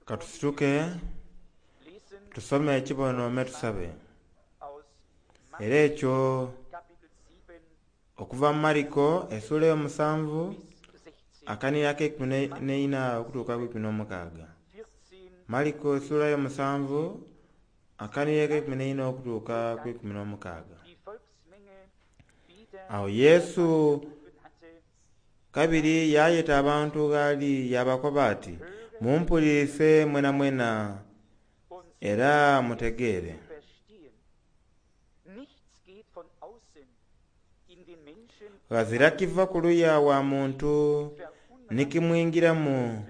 Ka tusituke tusome ekibono me tusabe. Era ekyo okuva mu Mariko esula eyomusanvu akanhiriri akeikumi n'eina okutuuka ku ikumi n'omukaaga. Mariko esula eyomusanvu akanhiriri akeikumi n'eina okutuuka ku ikumi n'omukaaga. Agho Yesu kabiri yaayeta abantu gh'ali yaabakoba ati, Mumpulirise mwenamwena era mutegeere. Ghazira kiva kuluya wa muntu ni kimwingiramu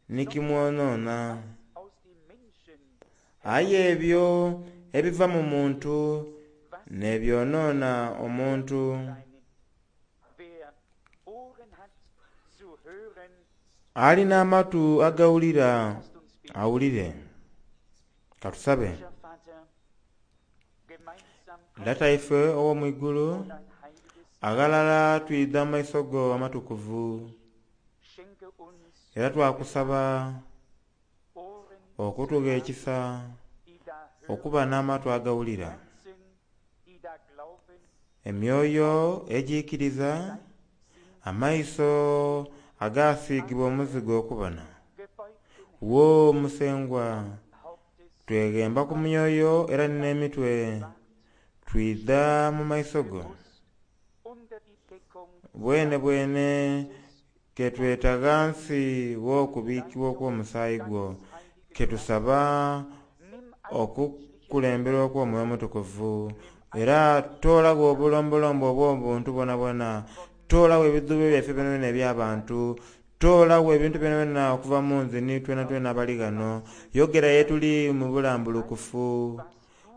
ni kimwonoona. Aye ebyo ebiva mu muntu n'ebyonoona omuntu. Ali n'amatu agawulira awulire. Ka tusabe. Lata ife ow'omu igulu, aghalala twidha mu maiso go amatukuvu era twakusaba okutugha ekisa okuba n'amatu agawulira, emyoyo egiikiriza, amaiso agasiigibwa omuzigo okubona. Wo Musengwa, tweghemba ku myoyo era ni n'emitwe, twidha mu maiso go. Bwenebwene ke tweta ghansi w'okubiikibwa okw'omusaayi gwo, ke tusaba okukulemberwa okw'Omwoyo Omutukuvu. Era toolagho obulombolombo obw'obuntu bwonabwona, toolagho ebidhuubo byaife byonabyona eby'abantu, toolagho ebintu byonabyona okuva mu nze ni twenatwena abali ghano. Yogera ye tuli mu bulambulukufu,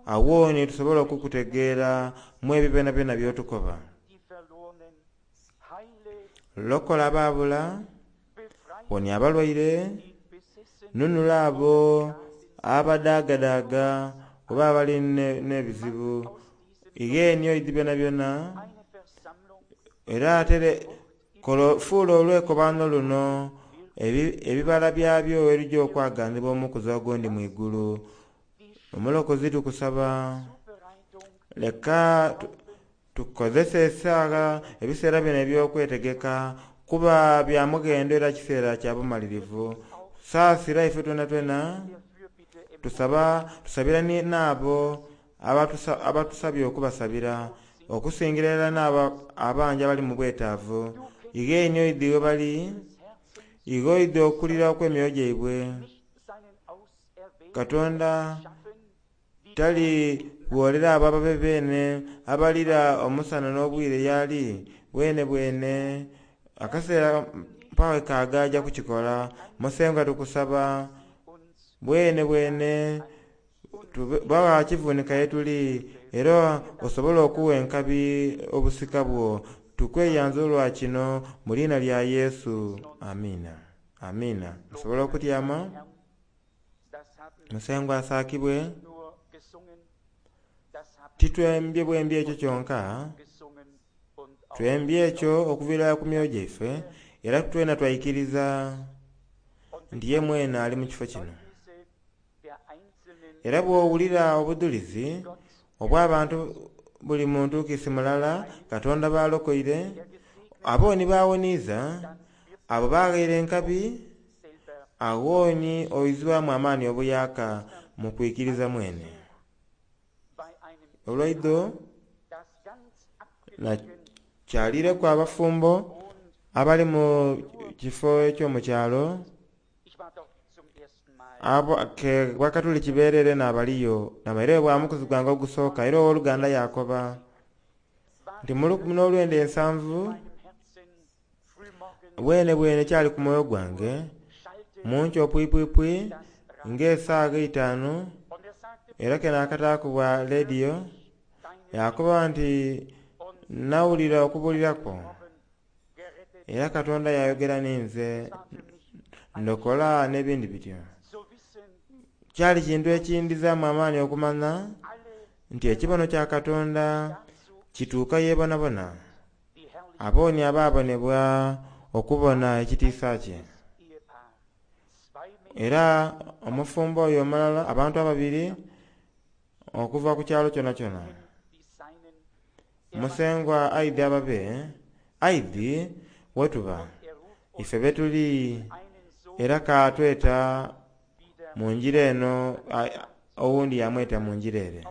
agho ni tusobole okukutegeera mu ebyo byonabyona by'otukoba. Lokola abaabula, wonia abalwaire, nunula abo abadaagadaaga oba abali n'ebizibu. Ighe ni oidhi byonabyona, era atere fuula olwekobaano luno ebibala byabyo ebija okwaganibwa omukuzi ogundi mu igulu. Omulokozi tukusaba, leka tukozese esaagha ebiseera bino eby'okwetegeka kuba bya mughendo era kiseera kya bumalirivu. Saasira ife twenatwena, tusaba tusabira n'abo abatusabye okubasabira, okusingira irala n'abo abangi abali mu bwetaavu. Ighe ni oidhi ghe bali, ighe oidhi okulira okw'emyoyo gyaibwe. Katonda tali gholera abo ababe beene abalira omusana n'obwire y'ali bwenebwene. Akaseera mpagho kaaga aja kukikola. Musengwa tukusaba bwenebwene ba gha kivunika ye tuli era osobole okuwa enkabi obusika bwo. Tukweyanza olwa kino mu liina lya Yesu. Amiina. Amiina. Musobola okutyama. Musengwa asaakibwe. Titwembye bwembi ekyo kyonka, twembye ekyo okuviira ku myoyo gyaife, era twena twaikiriza nti ye mwene ali mu kifo kino. Era bw'owulira obudhulizi obw'abantu buli muntu kiisi mulala Katonda b'alokoire, abo ni b'awoniiza, abo b'aghaire enkabi, agho ni oizibwamu amaani obuyaaka mu kwikiriza mwene. Olwaidho nakyaliireku abafumbo abali mu kifo eky'omu kyalo, abo ke Bakatuliki beerere n'abaliyo. Namaireyo bwa mukuzi gwange ogusooka era ow'oluganda yaakoba nti mu lukumi n'olwenda ensanvu bwenebwene kyali ku mwoyo gwange mu nkyo pwipwipwi ng'esaagha eitaanu era ke naakataaku bwa leediyo yaakoba nti nawulira okubuulira kwo era Katonda yaayogera ninze ndokola n'ebindi bityo. Kyali kintu ekindhizaamu amaani okumanha nti ekibono kya Katonda kituuka ye bonabona. Abo ni abaabonebwa okubona ekitiisa kye. Era omufumbo oyo omulala, abantu ababiri okuva ku kyalo kyonakyona. Musengwa aidhi ababe, aidhi wetuba, ife betuli, era katweta mu ngira eno, owundi yamweta mu ngira ere.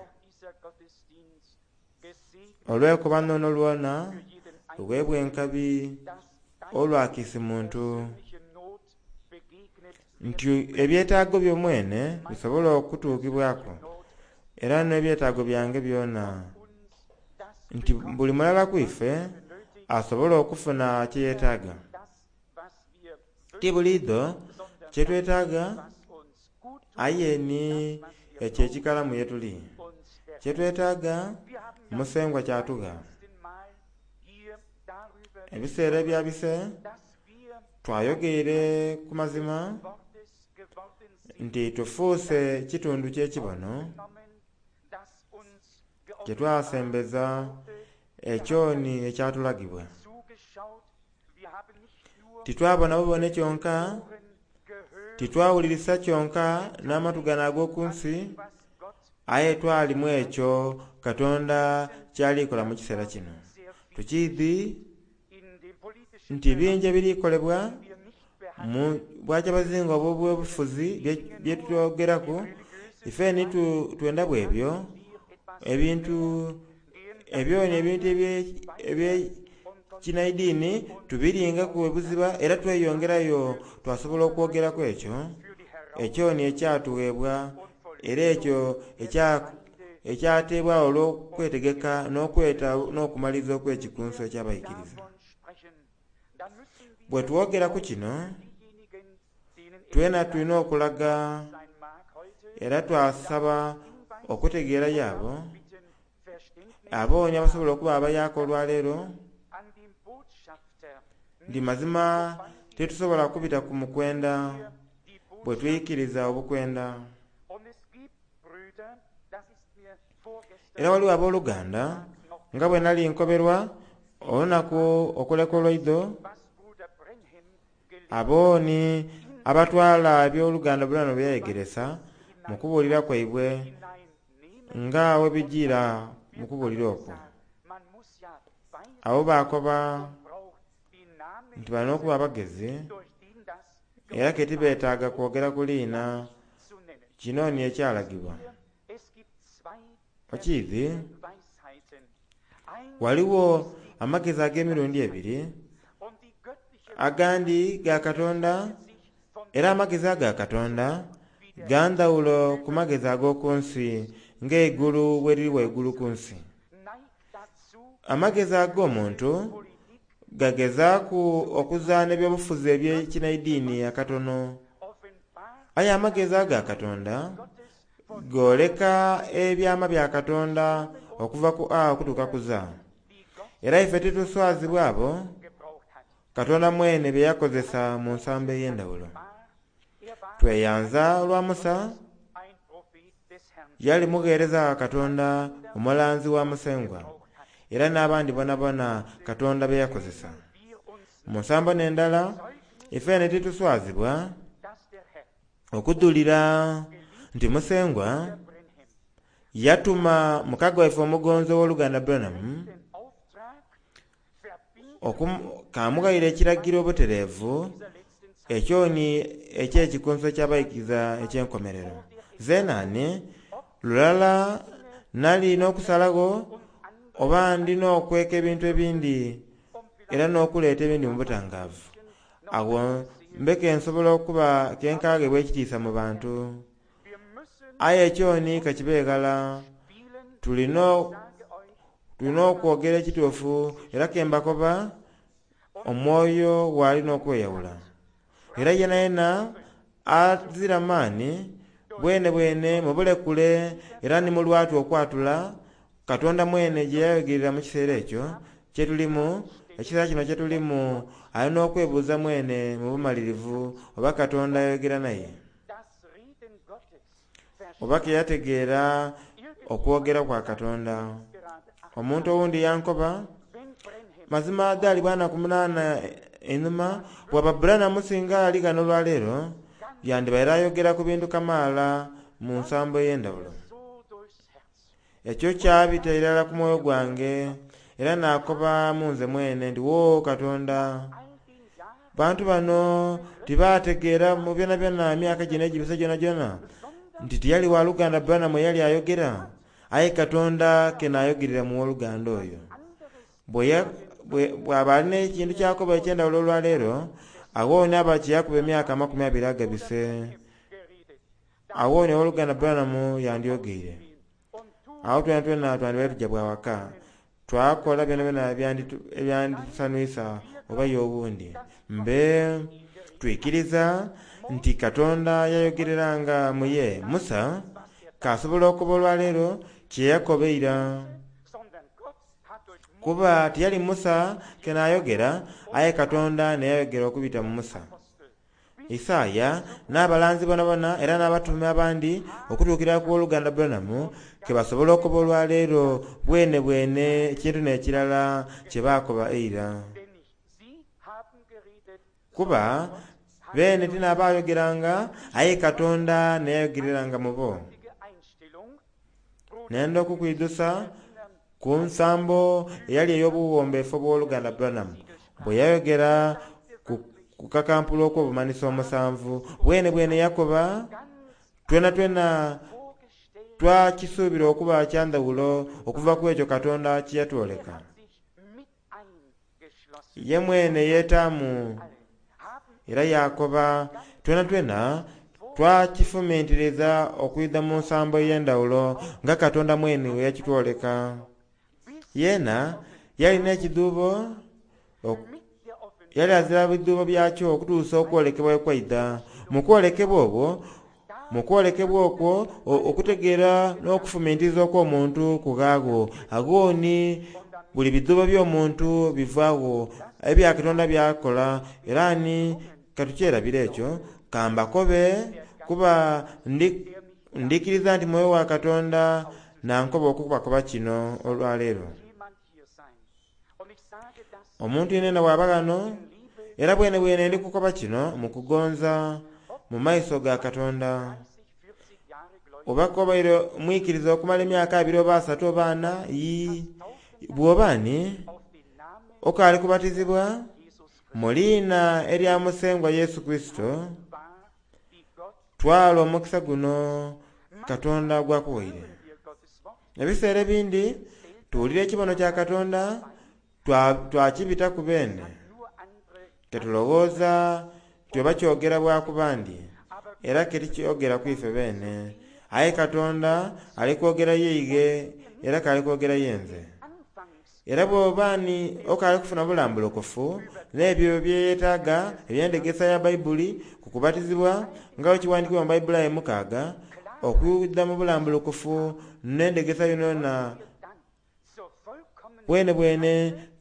Olwekobano luno lwona luweebwa enkabi olwa kiisi muntu, nti ebyetaago byo mwene bisobole okutuukibwaku, era n'ebyetaago byange byona, nti buli mulala ku ife asobole okufuna kyeyetaaga. Ti buliidho kyetwetaaga, aye ni ekyo ekikalamu ye tuli. Kyetwetaaga Musengwa kyatugha. Ebiseera ebyabise twayogeire ku mazima nti tufuuse kitundu ky'ekibono kye twasembeza ekyoni ekyatulagibwa. Titwabona bubone kyonka, titwawulirisa kyonka n'amatu gano ag'oku nsi, aye twalimu ekyo Katonda kyali kola mu kiseera kino. Tukiidhi nti bingi ebiri kolebwa mu bwakyabazinga obw'obufuzi bye twogeraku, ife ni twenda bwebyo ebintu ebyo n'ebintu eby'ekinaidini tubiringaku ebuziba era tweyongerayo twasobola okwogeraku ekyo ekyo ni ekyatuweebwa era ekyo ekyateebwagho olw'okwetegeka n'okweta n'okumaliriza okw'ekikunsu eky'abaikiriza. Bwe twogeraku kino, twena tulina okulaga era twasaba okutegeera yaabo abooni abasobola okuba abayaaka olwaleero nti mazima tetusobola kubita ku mukwenda bwe twikiriza obukwenda. Era waliwo abooluganda nga bwe nali nkoberwa olunaku okuleka olwaidho, abooni abatwala ebyoluganda Branham bye yayegeresa mu kubuulira kwaibwe nga webijiira mu kubuulira okwo. Abo bakoba nti balina okuba abagezi era ke tibeetaaga kwogera ku liina kino ni ekyalagibwa. Okiidhi, waliwo amagezi ag'emirundi ebiri, agandi ga Katonda, era amagezi aga Katonda ga ndhawulo ku magezi ag'oku nsi ng'eigulu bwe liri waigulu ku nsi. Amagezi ag'omuntu gagezaaku okuzaana ebyobufuzi eby'ekinaidini akatono, aye amagezi aga Katonda gooleka ebyama bya Katonda okuva ku A okutuuka ku Z. Era ife tituswazibwa abo Katonda mwene bye yakozesa mu nsambo ey'endhawulo. Tweyanza olwa Musa, yali mugheereza wa Katonda, omulanzi wa Musengwa, era n'abandi bonabona Katonda be yakozesa. Mu nsambo n'endala, ifene tituswazibwa okudhulira nti Musengwa yatuma mukago waife omugonzi ow'oluganda Branham kamughaire ekiragiro obutereevu ekyoni eky'ekikunsu eky'abaikiriza eky'enkomerero. Zenaani lulala nali n'okusalagho oba ndi n'okweka ebintu ebindi era n'okuleeta ebindi mu butangaavu. Agho mbeke nsobola okuba kenkaghebwa ekitiisa mu bantu. Aye ekyoni kakibe ghala, tulina okwogera ekituufu era kembakoba omwoyo gwali n'okweyawula. Era yenayena azira maani bwene bwene mubulekule era ni mu lwatu okwatula Katonda mwene gye yayogerera mu kiseera ekyo kye tulimu, ekiseera kino kye tulimu, alina okwebuuza mwene mu bumalirivu oba Katonda ayogera naye, oba ke yategeera okwogera kwa Katonda. Omuntu owundi yankoba, mazima dhaali bwa naku munaana Einhuma bwaba Branham singa ali ghano olwaleero, yandibaire ayogera ku bintu kamaala mu nsambo ey'endhawulo. Ekyo kyabita irala ku mwoyo gwange, era naakoba mu nze mwene nti, wo Katonda, bantu bano tibaategeera mu byonabyona emyaka gino egibise gyonagyona nti tiyali waluganda Branham eyali ayogera, aye Katonda ke naayogerera mu woluganda oyo. Bw'aba alina ekintu kyakoba eky'endhawulo olwaleero, agho ni aba kyeyakuba emyaka 20 agabise, agho ni owoluganda Branham yandyogeire. Agho twenatwena twandibaire tuja bwa waka, twakola byonabyona ebyandisanwisa oba ye owundi. Mbe twikiriza nti Katonda yayogereranga mu ye Musa, k'asobola okuba olwaleero kye yakoba eira. Kuba tiyali Musa ke naayogera, aye Katonda neyayogera okubita mu Musa. Isaaya n'abalanzi bonabona era n'abatume abandi okutuukira ku woluganda Branham ke basobola okuba olwaleero bwene bwene ekintu n'ekirala kye baakoba eira. Kuba beene tinabaayogeranga, aye Katonda neyayogereranga mu bo. Nenda okukwidhusa ku nsambo eyali ey'obuwombeefu obw'oluganda Branham bwe yayogera ku kakampulu okw'obumanhiso omusanvu. Bwene bwene yakoba, twenatwena twakisuubira okuba kya ndhawulo okuva ku ekyo Katonda kye yatwoleka. Ye mwene yeetaamu era yakoba, twenatwena twakifumintiriza okwidha mu nsambo ey'endhawulo nga Katonda mwene bwe yakitwoleka. Yeena yalina ekidhuubo, yali azira bidhuubo byakyo okutuusa okwolekebwa ekwaidha. Mu kwolekebwa obwo, mu kwolekebwa okwo, okutegeera n'okufumintiriza okw'omuntu kughaagho. Agho ni buli bidhuubo by'omuntu bivaagho, ebya Katonda byakola, era ni katukyerabira ekyo, kambakobe kuba ndikiriza nti mwoyo wa Katonda nankoba okubakoba kino olwaleero. Omuntu yenena bw'aba ghano, era bwene bwene ndi kukoba kino mu kugonza mu maiso ga Katonda. Oba kobaire mwikiriza okumala emyaka 2 oba 3 oba 4, ii, bw'oba ni okaali kubatizibwa mu liina erya Musengwa Yesu Kristo, twala omukisa guno Katonda gwakuwaire. Ebiseera ebindi tuwulira ekibono kya Katonda twakibitaku beene, ketulowooza nti oba kyogera bwa ku bandi, era ketikyogera ku ife beene. Aye Katonda ali kwogera yeighe era kali kwogera yenze. Era bw'oba ni okaali kufuna bulambulukufu n'ebyo bye yeetaaga eby'endegesa ya Baibuli ku kubatizibwa nga bwe kiwandiikibwa mu Baibuli aye 6, okwidha mu bulambulukufu n'endegesa yonayona bwene bwene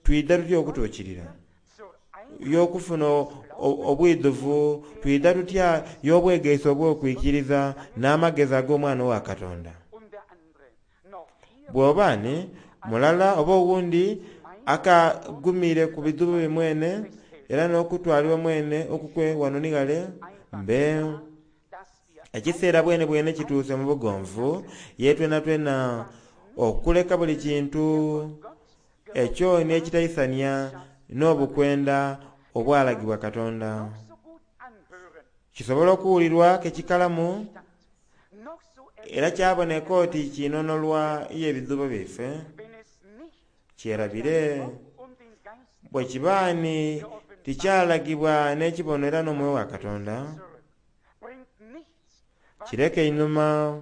twidha tutya okutuukirira y'okufuna obwidhuvu, twidha tutya y'obwegeesa obw'okwikiriza n'amagezi ag'omwana wa Katonda. Bw'oba ni mulala oba owundi akagumire ku bidhuubo bye mwene era n'okutwalibwa mwene okukwe wano ni ghale, mbe ekiseera bwene bwene kituuse mu bugonvu ye twenatwena okuleka buli kintu ekyo n'ekitaisania n'obukwenda obwalagibwa Katonda. Kisobola okuwulirwa ke kikalamu era kyaboneka oti kinonolwa y'ebidhuubo byaife, kyerabire bwe kiba ni tikyalagibwa n'ekibono era n'omwoyo wa Katonda, kireke einhuma.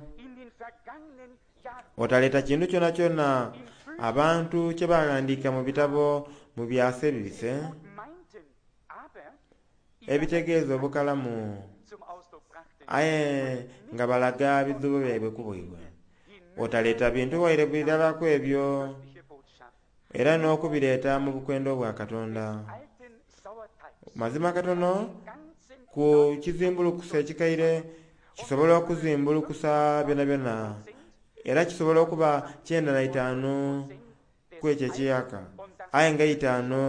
Otaleeta kintu kyonakyona abantu kye baghandiika mu bitabo mu byasa ebibise ebitegeeza obukalamu, aye nga balaga bidhuubo byaibwe ku bwaibwe. Otaleeta bintu waire birala ku ebyo era n'okubireeta mu bukwenda obwa Katonda. Mazima katono ku kizimbulukusa ekikaire kisobola okuzimbulukusa byonabyona, era kisobola okuba 95 ku ekyo ekiyaka. Aye nga eitaanu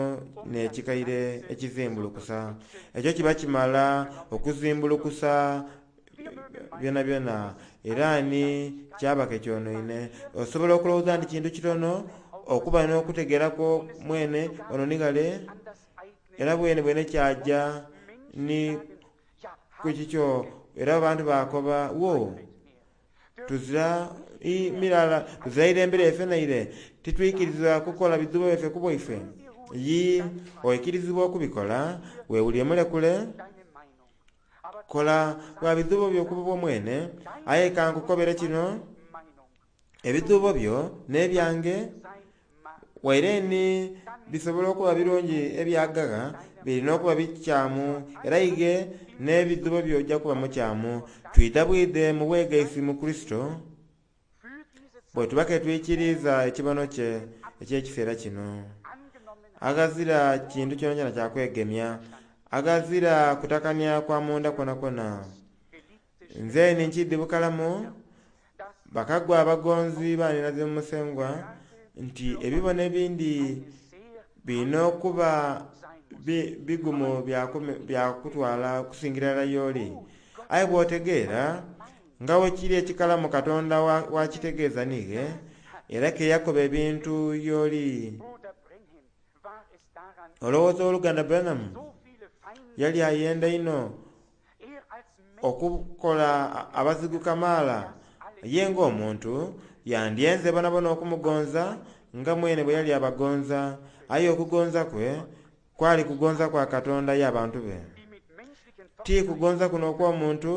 n'ekikaire ekizimbulukusa. Ekyo kiba kimala okuzimbulukusa byonabyona. Era ni kyaba ke kyonoine. Osobola okulowooza nti kintu kitono okuba n'okutegeera kwo mwene ono ni ghale, era bwenebwene kyaja ni ku kikyo. Era abantu baakoba, Wo, tuzira mirala, tuzira irembe lyaife naire. Titwikirizibwa kukola bidhuubo byaife ku bwaife. Yii, oikirizibwa okubikola, weewulire mulekule. Kola bwa bidhuubo byo ku bubwo mwene. Aye ka nkukobere kino, ebidhuubo byo n'ebyange, waire ni bisobola okuba birungi ebyagagha, biri n'okuba bikyamu, era ighe n'ebidhuubo byo oja kuba mukyamu. Twidha bwidhe mu bwegaisi mu Kurisito, bwe tuba ke twikiriiza ekibono kye eky'ekiseera kino. Aghazira kintu kyonakyona kya kwegemya, aghazira kutakania kwa munda kwonakwona. Nze ni nkiidhi bukalamu, bakagwa abagonzi baaninaze mu Musengwa, nti ebibono ebindi biri n'okuba bigumu bya kutwala okusingira irala y'oli. Aye bw'otegeera nga bwe kiri ekikalamu Katonda w'akitegeeza n'ighe, era ke yakoba ebintu y'oli. Olowooza Owoluganda Branham yali ayenda inho okukola abazigu kamaala? Ye ng'omuntu, yandyenze bonabona okumugonza nga mwene bwe yali abagonza, aye okugonza kwe kwali kugonza kwa Katonda ye abantu be. Ti kugonza kuno okw'omuntu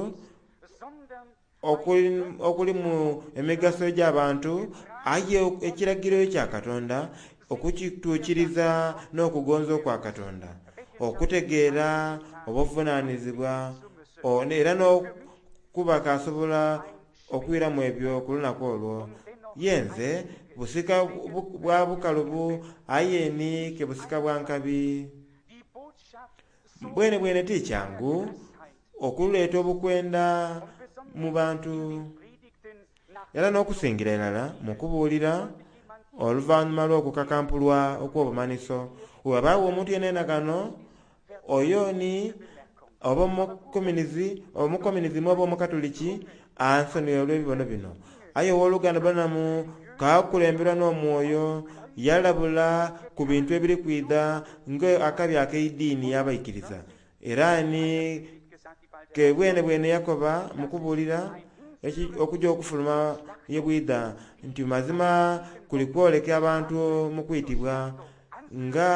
okulimu emigaso egy'abantu, aye ekiragiro kya Katonda okukituukiriza n'okugonza okwa Katonda, okutegeera obuvunaanizibwa era n'okuba k'asobola okwiramu ebyo ku lunaku olwo. Ye nze busika bwa bukalubu, aye ni ke busika bwa nkabi. Bwenebwene ti kyangu okuleeta obukwenda mu bantu, era n'okusingira irala mu kubuulira oluvannyuma lw'okukakampulwa okw'obumanhiso. Bwe ghabaagho omuntu yenayena ghano, oyo ni oba omukomunizimu oba Omukatoliki, ansonighe olw'ebibono bino. Aye Ow'oluganda Branham k'akulemberwa n'omwoyo, yalabula ku bintu ebiri kwidha nga akabi ak'eidiini y'abaikiriza. Era ni ke bwenebwene yakoba mu kubuulira okuja okufuluma ye bwidha nti mazima kuli kwoleka abantu mu kwitibwa nga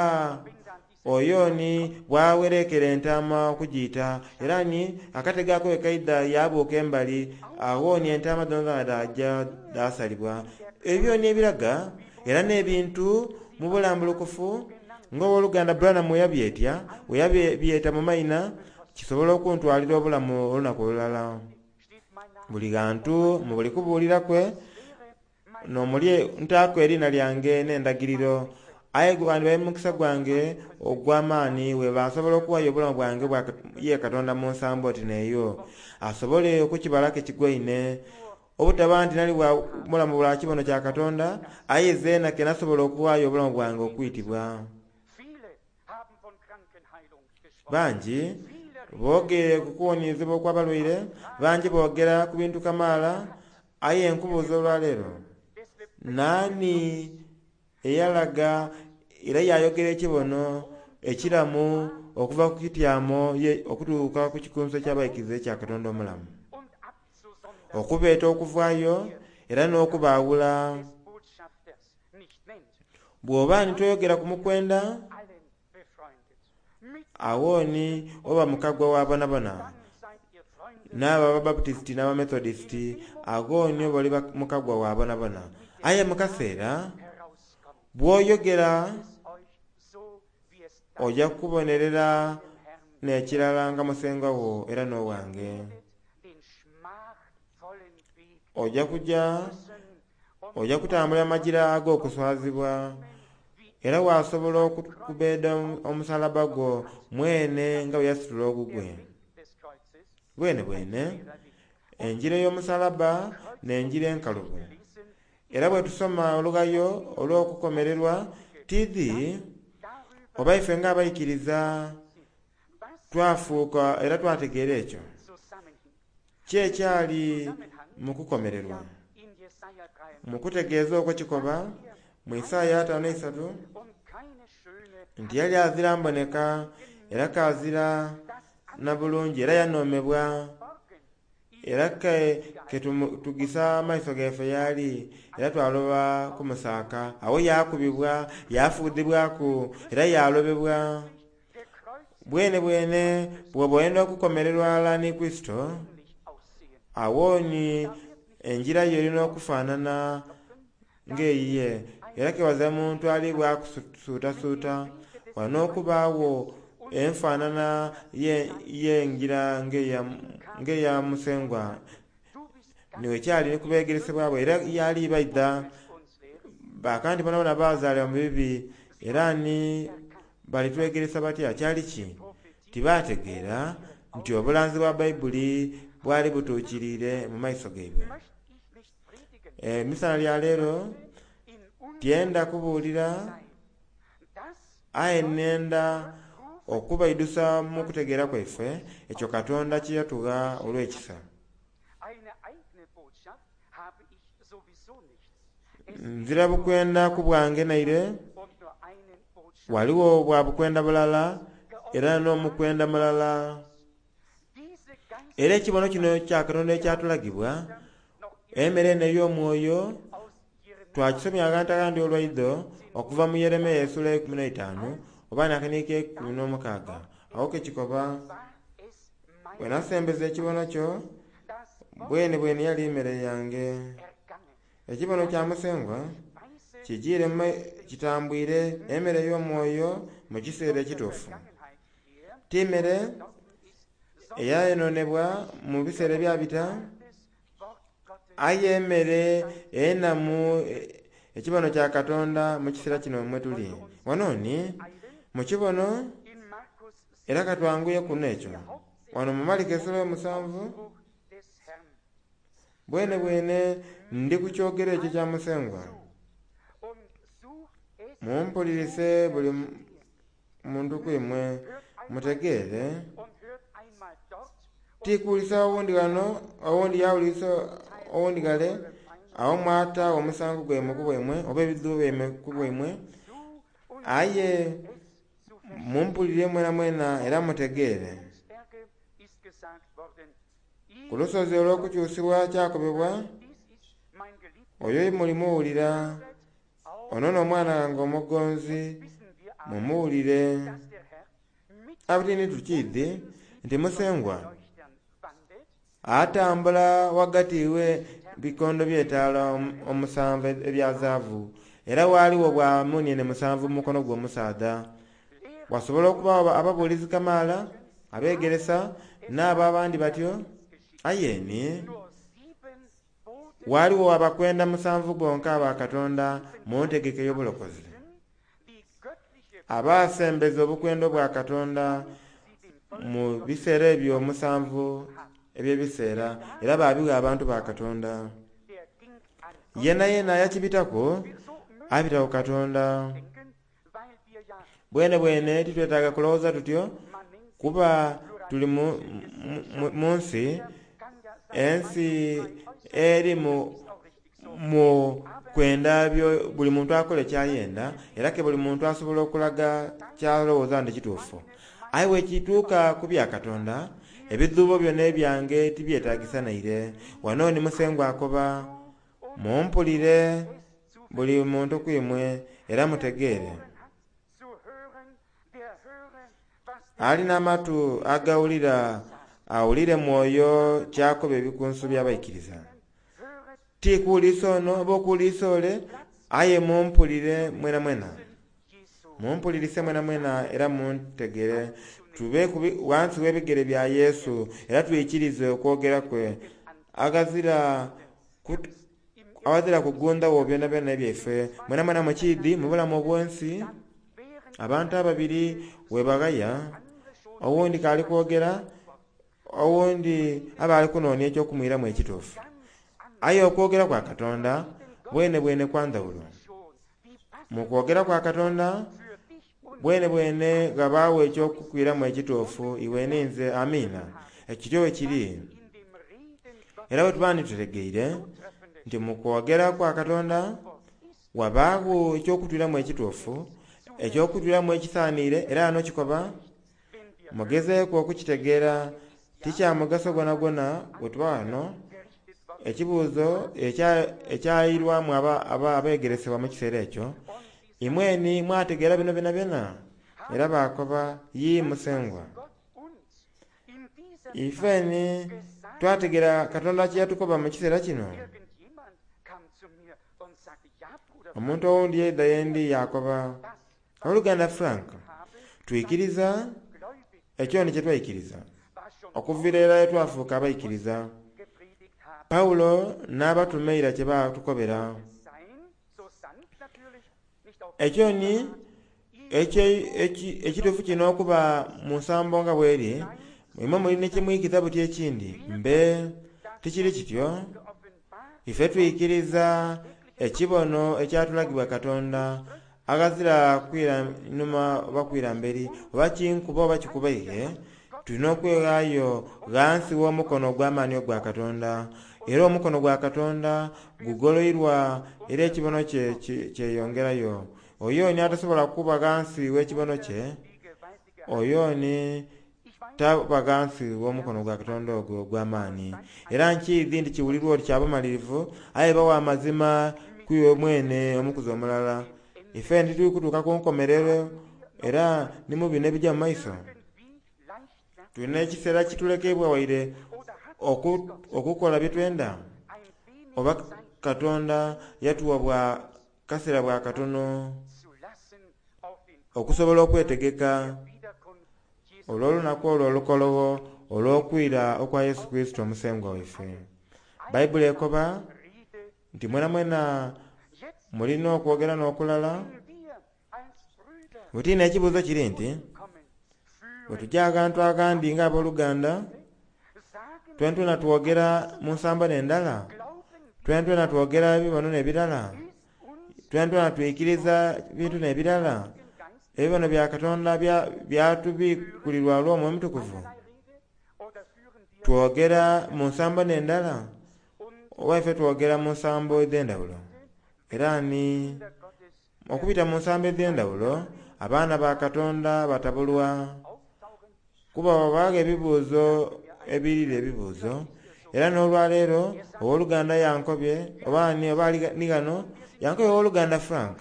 oyo ni bw'awerekera entaama okugiita. Era ni akatego ako bwe kaidha yaabuuka embali, agho ni entaama dhoonadhoona dhaaja dhaasalibwa. Ebyo ni ebiraga era n'ebintu mu bulambulukufu ng'Owoluganda Branham bwe yabyetya, bwe yabyeta mu maina, kisobola okuntwalira obulamu olunaku olulala. Buli ghantu mu buli kubuulira kwe n'omuli ntaaku eriina lyange n'endagiriro. Aye gwandibaire mukisa gwange ogw'amaani bweba nsobola okuwaayo obulamu bwange bwa ye Katonda mu nsambo oti n'eyo, asobole okukibalaku ekigwaine. Obutaba nti nali bwa bulamu bwa kibono kya Katonda, aye zeena ke nasobola okuwaayo obulamu bwange okwitibwa. Bangi boogeire ku kuwoniezebwa okw'abalwaire, bangi boogera ku bintu kamaala, aye nkubuuza olwaleero, naani eyalaga era yaayogera ekibono ekiramu okuva ku kityamo ye okutuuka ku kikunsu eky'abaikiriza ekya Katonda omulamu? Okubeeta okuvaayo era n'okubaawula. Bw'oba ni toyogera ku mukwenda, agho ni oba mukagwa wa bonabona. N'abo Ababaputisiti n'Abamethodisiti, agho ni oba oli mukagwa wa bonabona. Aye mu kaseera bw'oyogera oja kubonerera n'ekirala nga musengwa wo era n'owange. Oja kuja oja kutambula amajira ag'okuswazibwa, era waasobola okubbeeda omusalaba gwo mwene nga bwe yasitula ogugwe. Bwenebwene, enjira ey'omusalaba n'enjira enkalubo. Era bwe tusoma olughayo olw'okukomererwa, Tiidhi oba ife ng'abaikiriza twafuuka era twategeera ekyo. Ki ekyali mu kukomererwa? Mu kutegeeza okwo kikoba mu Isaaya 53 nti yali azira mboneka era kazira na bulungi era yanoomebwa era ke tugisa amaiso gaife yaali era twaloba kumusaaka. Agho yaakubibwa, yaafuudhibwaku era yaalobebwa. Bwene bwene bw'oba oyenda okukomererwa ghalala ni Kurisito, agho ni engira yo erina okufaanana ng'eyiye. Era kewaza muntu ali bwakusuutasuuta, walina okubaagho enfaanana y'engira ng'eya Musengwa. Niwe kyali ni ku beegeresebwa bwe era yali baidha bakanti bonabona baazaalibwa mu bibi era ni balitwegeresa batya? Kyali ki? Tibaategeera nti obulanzi bwa Baibuli bwali butuukiriire mu maiso gaibwe. Emisana lya leero tyenda kubuulira aye nenda okubaidusa mu kutegeera kwaife ekyo Katonda kye yatugha olw'ekisa. Nzira bukwenda ku bwange naire, ghaligho bwa bukwenda bulala era n'omukwenda mulala. Era ekibono kino kya Katonda ekyatulagibwa, emmere eno ey'omwoyo, twakisomya aghantu aghandi olwaidho okuva mu Yeremia esula 15 oba n'akaniiko 16. Agho ke kikoba, bwe nasembeza ekibono kyo, bwene bwene yali mmere yange. Ekibono kya Musengwa kijiire kitambwire emmere ey'omwoyo mu kiseera ekituufu. Ti mmere eyayononebwa mu biseera ebyabita, aye emmere enamu ekibono kya Katonda mu kiseera kino mwe tuli. Wano ni mu kibono era katwanguye kuno ekyo. Wano mu Maliko esula 7, bwene bwene ndi kukyogera ekyo kya Musengwa. Mumpulirise buli muntu kwimwe mutegeere. Tikuwulisa owundi ghano, owundi yawulirisa owundi ghale, agho mwataagho omusango gwaimwe ku bwaimwe oba ebidhuubo byaimwe ku bwaimwe. Aye mumpulire mwenamwena era mutegeere. Ku lusozi olw'okukyusibwa kyakobebwa, oyo mulimuwulira, ono n'omwana wange omugonzi, mumuwulire. Abutini tukiidhi nti Musengwa atambula ghagati we bikondo by'etaala omusanvu ebya zaabu, era ghaligho bwa muuniene 7 mu mukono gwe omusaadha. Wasobola okubagho ababuulizi kamaala, abeegeresa, n'abo abandi batyo, aye ni ghaligho abakwenda 7 bonka aba Katonda mu ntegeka ey'obulokozi, abaasembeza obukwenda bwa Katonda mu biseera ebyo 7 eby'ebiseera, era baabigha abantu ba Katonda. Yena yena yakibitaku abita ku Katonda. Bwene bwene titwetaaga kulowooza tutyo, kuba tuli mu nsi, ensi eri mu kwenda buli muntu akole kyayenda, era ke buli muntu asobola okulaga kyalowooza nti kituufu. Aye bwekituuka ku bya Katonda, ebidhuubo byonna ebyange tibyetagisa naire. Wano ni Musengwa akoba, mumpulire buli muntu kwimwe era mutegeere. Alina amatu agawulira awulire mwoyo kyakoba ebikunsu by'abaikiriza. Ti kuwulirisa ono oba okuwulirisa ole, aye mumpulire mwenamwena. Mumpulirise mwenamwena era muntegere. Tube ghansi w'ebigere bya Yesu era twikirize okwogera kwe. Aghazira kugundhagho byonabyona ebyaife. Mwenamwena mukiidhi mu bulamu obw'ensi, abantu ababiri webaghaya, owundi k'ali kwogera, owundi aba ali kunoonia eky'okumwiramu ekituufu. Aye okwogera kwa Katonda bwene bwene kwa ndhawulo. Mu kwogera kwa Katonda bwene bwene ghabaawo eky'okukwiramu ekituufu iwe ninze. Amiina. Ekityo bwe kiri. Era bwe tuba nitutegeire nti mu kwogera kwa Katonda wabaagho eky'okutwiramu ekituufu, eky'okutwiramu ekisaaniire, era ghano kikoba, mugezeeku okukitegeera, ti kya mugaso gwonagwona bwe tuba ghano. Ekibuuzo ekyairwamu abeegeresebwa mu kiseera ekyo, imweni mwategeera bino byonabyona? Era baakoba, yii Musengwa. Ifeni twategeera Katonda kye yatukoba mu kiseera kino. Omuntu owundi yaidha yendi yaakoba, Oluganda Frank, twikiriza ekyo ni kye twaikiriza okuviira irala ye twafuuka abaikiriza. Pawulo n'abatume eira kye baatukobera. Ekyo ni ekituufu kino okuba mu nsambo nga bweri, imwe muli ni kyemwikiza buti ekindi. Mbe tikiri kityo. Ife twikiriza ekibono ekyatulagibwa Katonda aghazira kwira inhuma oba kwira mberi, oba kinkuba oba kikubaire, tulina okweghaayo ghansi w'omukono ogw'amaani ogwa Katonda. Era omukono gwa Katonda gugoloirwa era ekibono kye kyeyongerayo. Oyo ni atasobola kuba ghansi w'ekibono kye, oyo ni taba ghansi w'omukono gwa Katonda ogwo ogw'amaani. Era nkiidhi nti kiwulirwa oti kya bumalirivu, aye bawa amazima ku iwe mwene omukuzi omulala. Ife ntituli kutuuka ku nkomerero era ni mu bino ebija mu maiso. Tulina ekiseera kitulekebwa waire okukola bye twenda, oba Katonda yatuwa bwa kaseera bwa katono okusobola okwetegeka olw'olunaku olwo olukologho olw'okwira okwa Yesu Kurisito Omusengwa waife. Bayibuli ekoba nti mwenamwena mulina okwogera n'okulala. Butiina ekibuuzo kiri nti bwe tujja aghantu aghandi ng'abooluganda, twentwena twogera mu nsambo n'endala, twentwena twogera ebibono n'ebirala, twentwena twikiriza bintu n'ebirala, ebibono bya Katonda byatubikulirwa olw'Omwoyo Omutukuvu. Twogera mu nsambo n'endala, oba ife twogera mu nsambo edh'endhawulo. Era ni okubita mu nsambo edh'endhawulo, abaana ba Katonda batabulwa kuba wabaawo ebibuuzo ebirira ebibuuzo. Era n'olwaleero owooluganda yankobye oba ni oba ni ghano yankobye owooluganda Frank,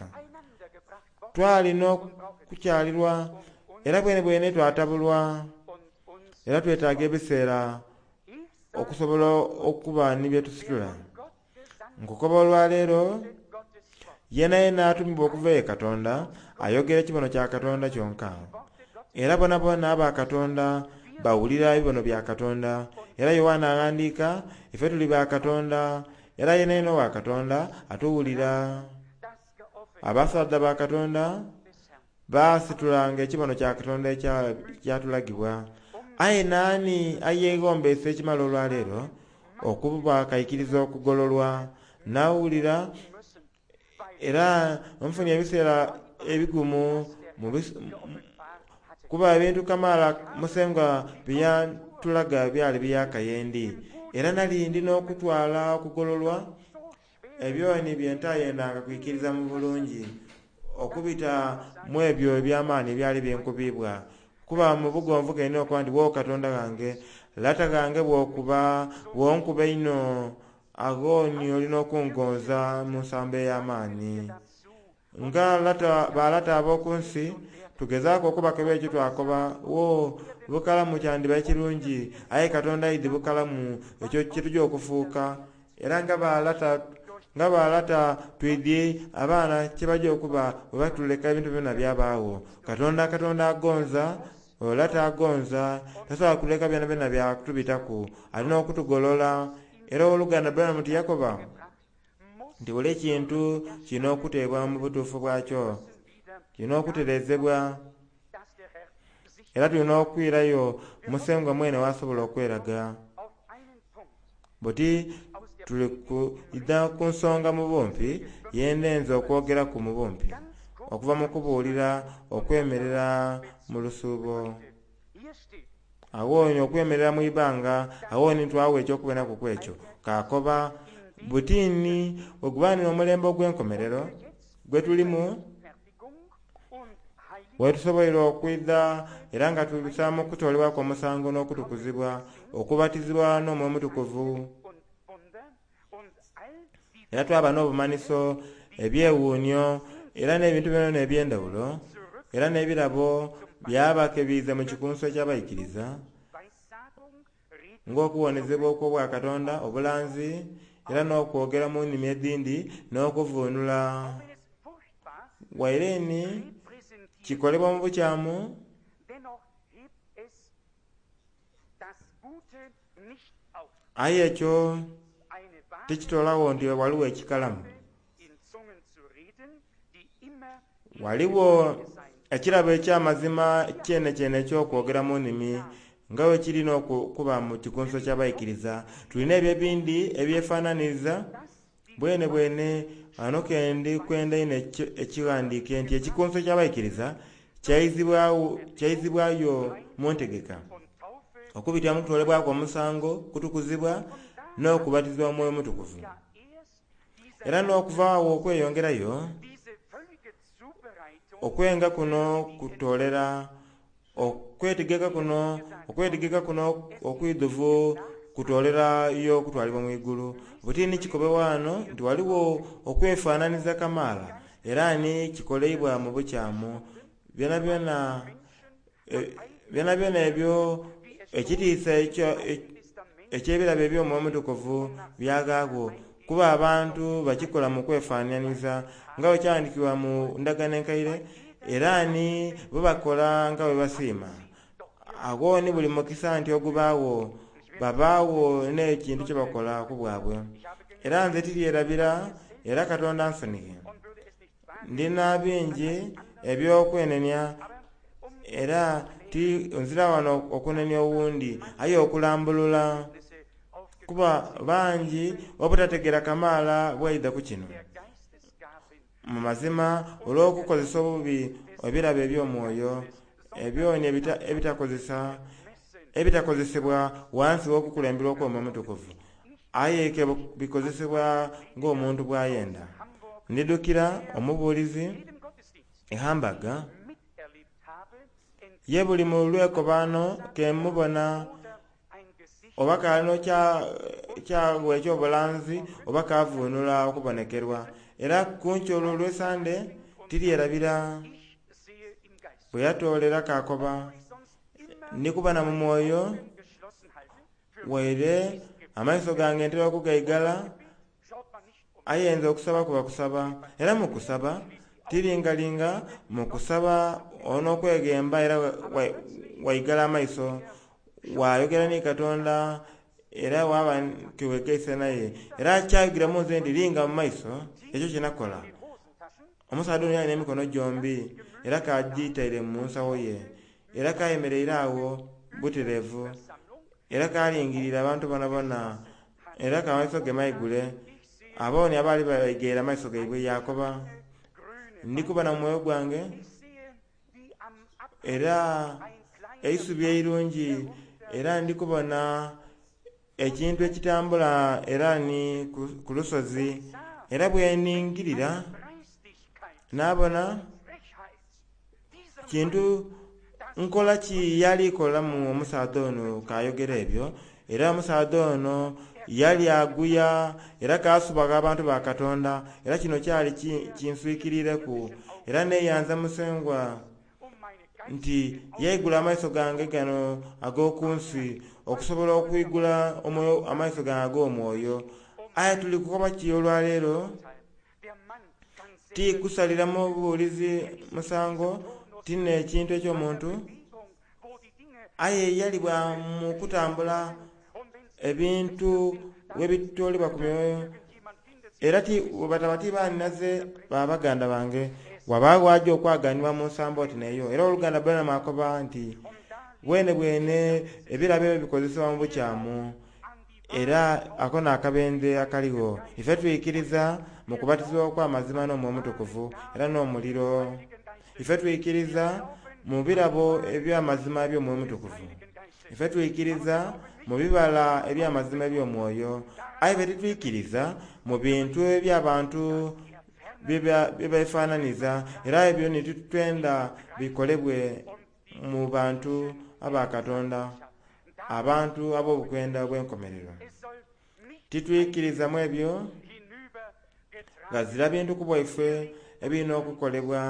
twalina okukyalirwa era bwene bwene twatabulwa era twetaaga ebiseera okusobola okuba ni bye tusitula. Nkukoba olwaleero yena yena atumibwa okuva ye Katonda ayogera ekibono kya Katonda kyonka. Era bonabona aba Katonda bawulira ebibono bya Katonda. Era Yoanna aghandiika, ife tuli ba Katonda, era yena yena owa Katonda atuwulira. Abasaadha ba Katonda baasitulanga ekibono kya Katonda ekyatulagibwa. Aye naani ayeegombesa ekimala olwaleero okuba akaikiriza okugololwa nawulira era nfunye ebiseera ebigumu kuba ebintu kamaala Musengwa byantulaga byali byakayendi. Era nali ndi n'okutwala okugololwa ebyoni bye ntayendanga kwikiriza mu bulungi okubita mu ebyo eby'amaani ebyali byenkubibwa. Kuba mu bugonvu kene okuba nti wo Katonda ghange, lata ghange bw'okuba bw'onkuba einho, agho ni olina okungonza mu nsambo ey'amaani. Nga balata ab'oku nsi tugezaaku okubakeba ekyo twakoba, wo bukalamu kyandiba ekirungi, aye Katonda aidhi bukalamu ekyo kye tuja okufuuka. Era nga balata twidhi abaana kye baja okuba bwe batuleka ebintu byona byabaagho. Katonda Katonda agonza, olata agonza, tasobola kuleka byonabyona byatubitaku, alina okutugolola. Era owooluganda Branham tiyakoba nti buli kintu kirina okuteebwa mu butuufu bwakyo, kirina okuterezebwa. Era tulina okwirayo Musengwa mwene wasobola okweraga. Buti tuli kuidha ku nsonga mu bumpi, yendenza okwogeraku mu bumpi. okuva mu kubuulira okwemerera mu lusuubo. Awo ni okwemerera mu ibanga, awo ni twawa ekyokubonaku ku ekyo. Kakoba butini wegubanira omulembe ogw'enkomerero gwe tulimu, wetusoboire okwidha era nga tubisaamu okutoolebwaku omusango n'okutukuzibwa, okubatizibwa n'Omwoyo Omutukuvu, era twaba n'obumanhiso, ebyewuunhio, era n'ebintu byonabyona eby'endhawulo, era n'ebirabo byaba ke biiza mu kikunsu eky'abaikiriza, ng'okuwonezebwa okw'Obwakatonda, obulanzi, era n'okwogera mu nnimi edhindi n'okuvuunula. Waire ni kikolebwa mu bukyamu, aye ekyo tikitoolagho nti ghaligho ekikalamu. Ghaligho ekirabo eky'amazima kyenekyene eky'okwogera mu nnimi nga bwe kiri n'okuba mu kikunsu eky'abaikiriza. Tulina ebyo ebindi ebyefanhanhiriza bwene bwene. Ghano kendi kwenda inho ekighandiike nti ekikunsu eky'abaikiriza kyaizibwayo mu ntegeka okubitira mu kutoolebwaku omusango, kutukuzibwa, n'okubatizibwa mu Mwoyo Omutukuvu. Era n'okuva agho okweyongerayo, okwenga kuno kutoolera okwetegeka kuno, okwetegeka kuno okwidhuvu kutoolerayo okutwalibwa mu igulu. Buti ni kikobebwa ghano nti ghaligho okwefanhanhiza kamaala era ni kikoleibwa mu bukyamu. Byonabyona byonabyona ebyo ekitiisa eky'ebirabo eby'Omwoyo Omutukuvu byagaagho, kuba abantu bakikola mu kwefanhanhiza nga bwe kyaghandiikibwa mu ndagaano enkaire, era ni bo bakola nga bwe basiima. Agho ni buli mukisa nti ogubaagho, babaagho n'ekintu kye bakola ku bwabwe. Era nze tiryerabira, era Katonda ansonighe. Ndina bingi eby'okwenenia, era ti nzira wano okunenia owundi, aye okulambulula, kuba bangi obutategeera kamaala bwaidha ku kino. Mu mazima olw'okukozesa obubi ebirabo eby'omwoyo, ebyoni ebitakozesebwa ghansi w'okukulemberwa okw'Omwoyo Omutukuvu, aye ke bikozesebwa ng'omuntu bw'ayenda. Ndidhukira omubuulizi e Hamburg, ye buli mu lwekobaano ke mubona oba kalina kyagho eky'obulanzi oba kavuunula okubonekerwa. Era ku nkyo olwo olw'Esande tiryerabira bwe yatoolera kakoba, Ndi kubona mu mwoyo, waire amaiso gange ntera okugaigala, aye nze okusaba kuba kusaba. Era mu kusaba tiringalinga, mu kusaba on'okweghemba era waigala amaiso, wayogera ni Katonda era waba tiwegaise naye. Era kyayogera mu nze nti linga mu maiso, ekyo kye nakola. Omusaadha ono yali n'emikono gyombi era kagitaire mu nsawo ye, era kayemereire agho butereevu, era kalingiriire abantu bonabona, era k'amaiso ge maigule. Aboni abaali baigaire amaiso gaibwe yaakoba, Ndi kubona mu mwoyo gwange, era eisubi eirungi, era ndi kubona ekintu ekitambula era ni ku lusozi, era bwe ningirira naabona kintu nkola ki yali kolamu omusaadha ono k'ayogera ebyo. Era omusaadha ono yali aguya era kaasubagha abantu ba Katonda, era kino kyali kinswikiriireku. Era neeyanza Musengwa nti yaigula amaiso gange gano ag'oku nsi okusobola okwigula amaiso gange ag'omwoyo. Aye tuli kukoba ki olwaleero? Ti kusalira mubuulizi musango, ti n'ekintu eky'omuntu, aye yali bwa mu kutambula ebintu webitoolebwa ku myoyo. Era ti bwe bataba ti baninaze ba baganda bange, wabaagho aja okwaganibwa mu nsambo oti n'eyo. Era oluganda Branham akoba nti bwene bwene ebirabo ebyo bikozesebwa mu bukyamu. Era ako n'akabenje akaligho. Ife twikiriza mu kubatizibwa okw'amazima n'Omwoyo Omutukuvu era n'omuliro. Ife twikiriza mu birabo eby'amazima eby'Omwoyo Omutukuvu. Ife twikiriza mu bibala eby'amazima eby'Omwoyo. Aye ife titwikiriza mu bintu eby'abantu bye beefaananiza, era ebyo ni titwenda bikolebwe mu bantu aba Katonda, abantu ab'obukwenda obw'enkomerero. Titwikiriza mu ebyo, ghazira bintu ku bwaife ebirina okukolebwa.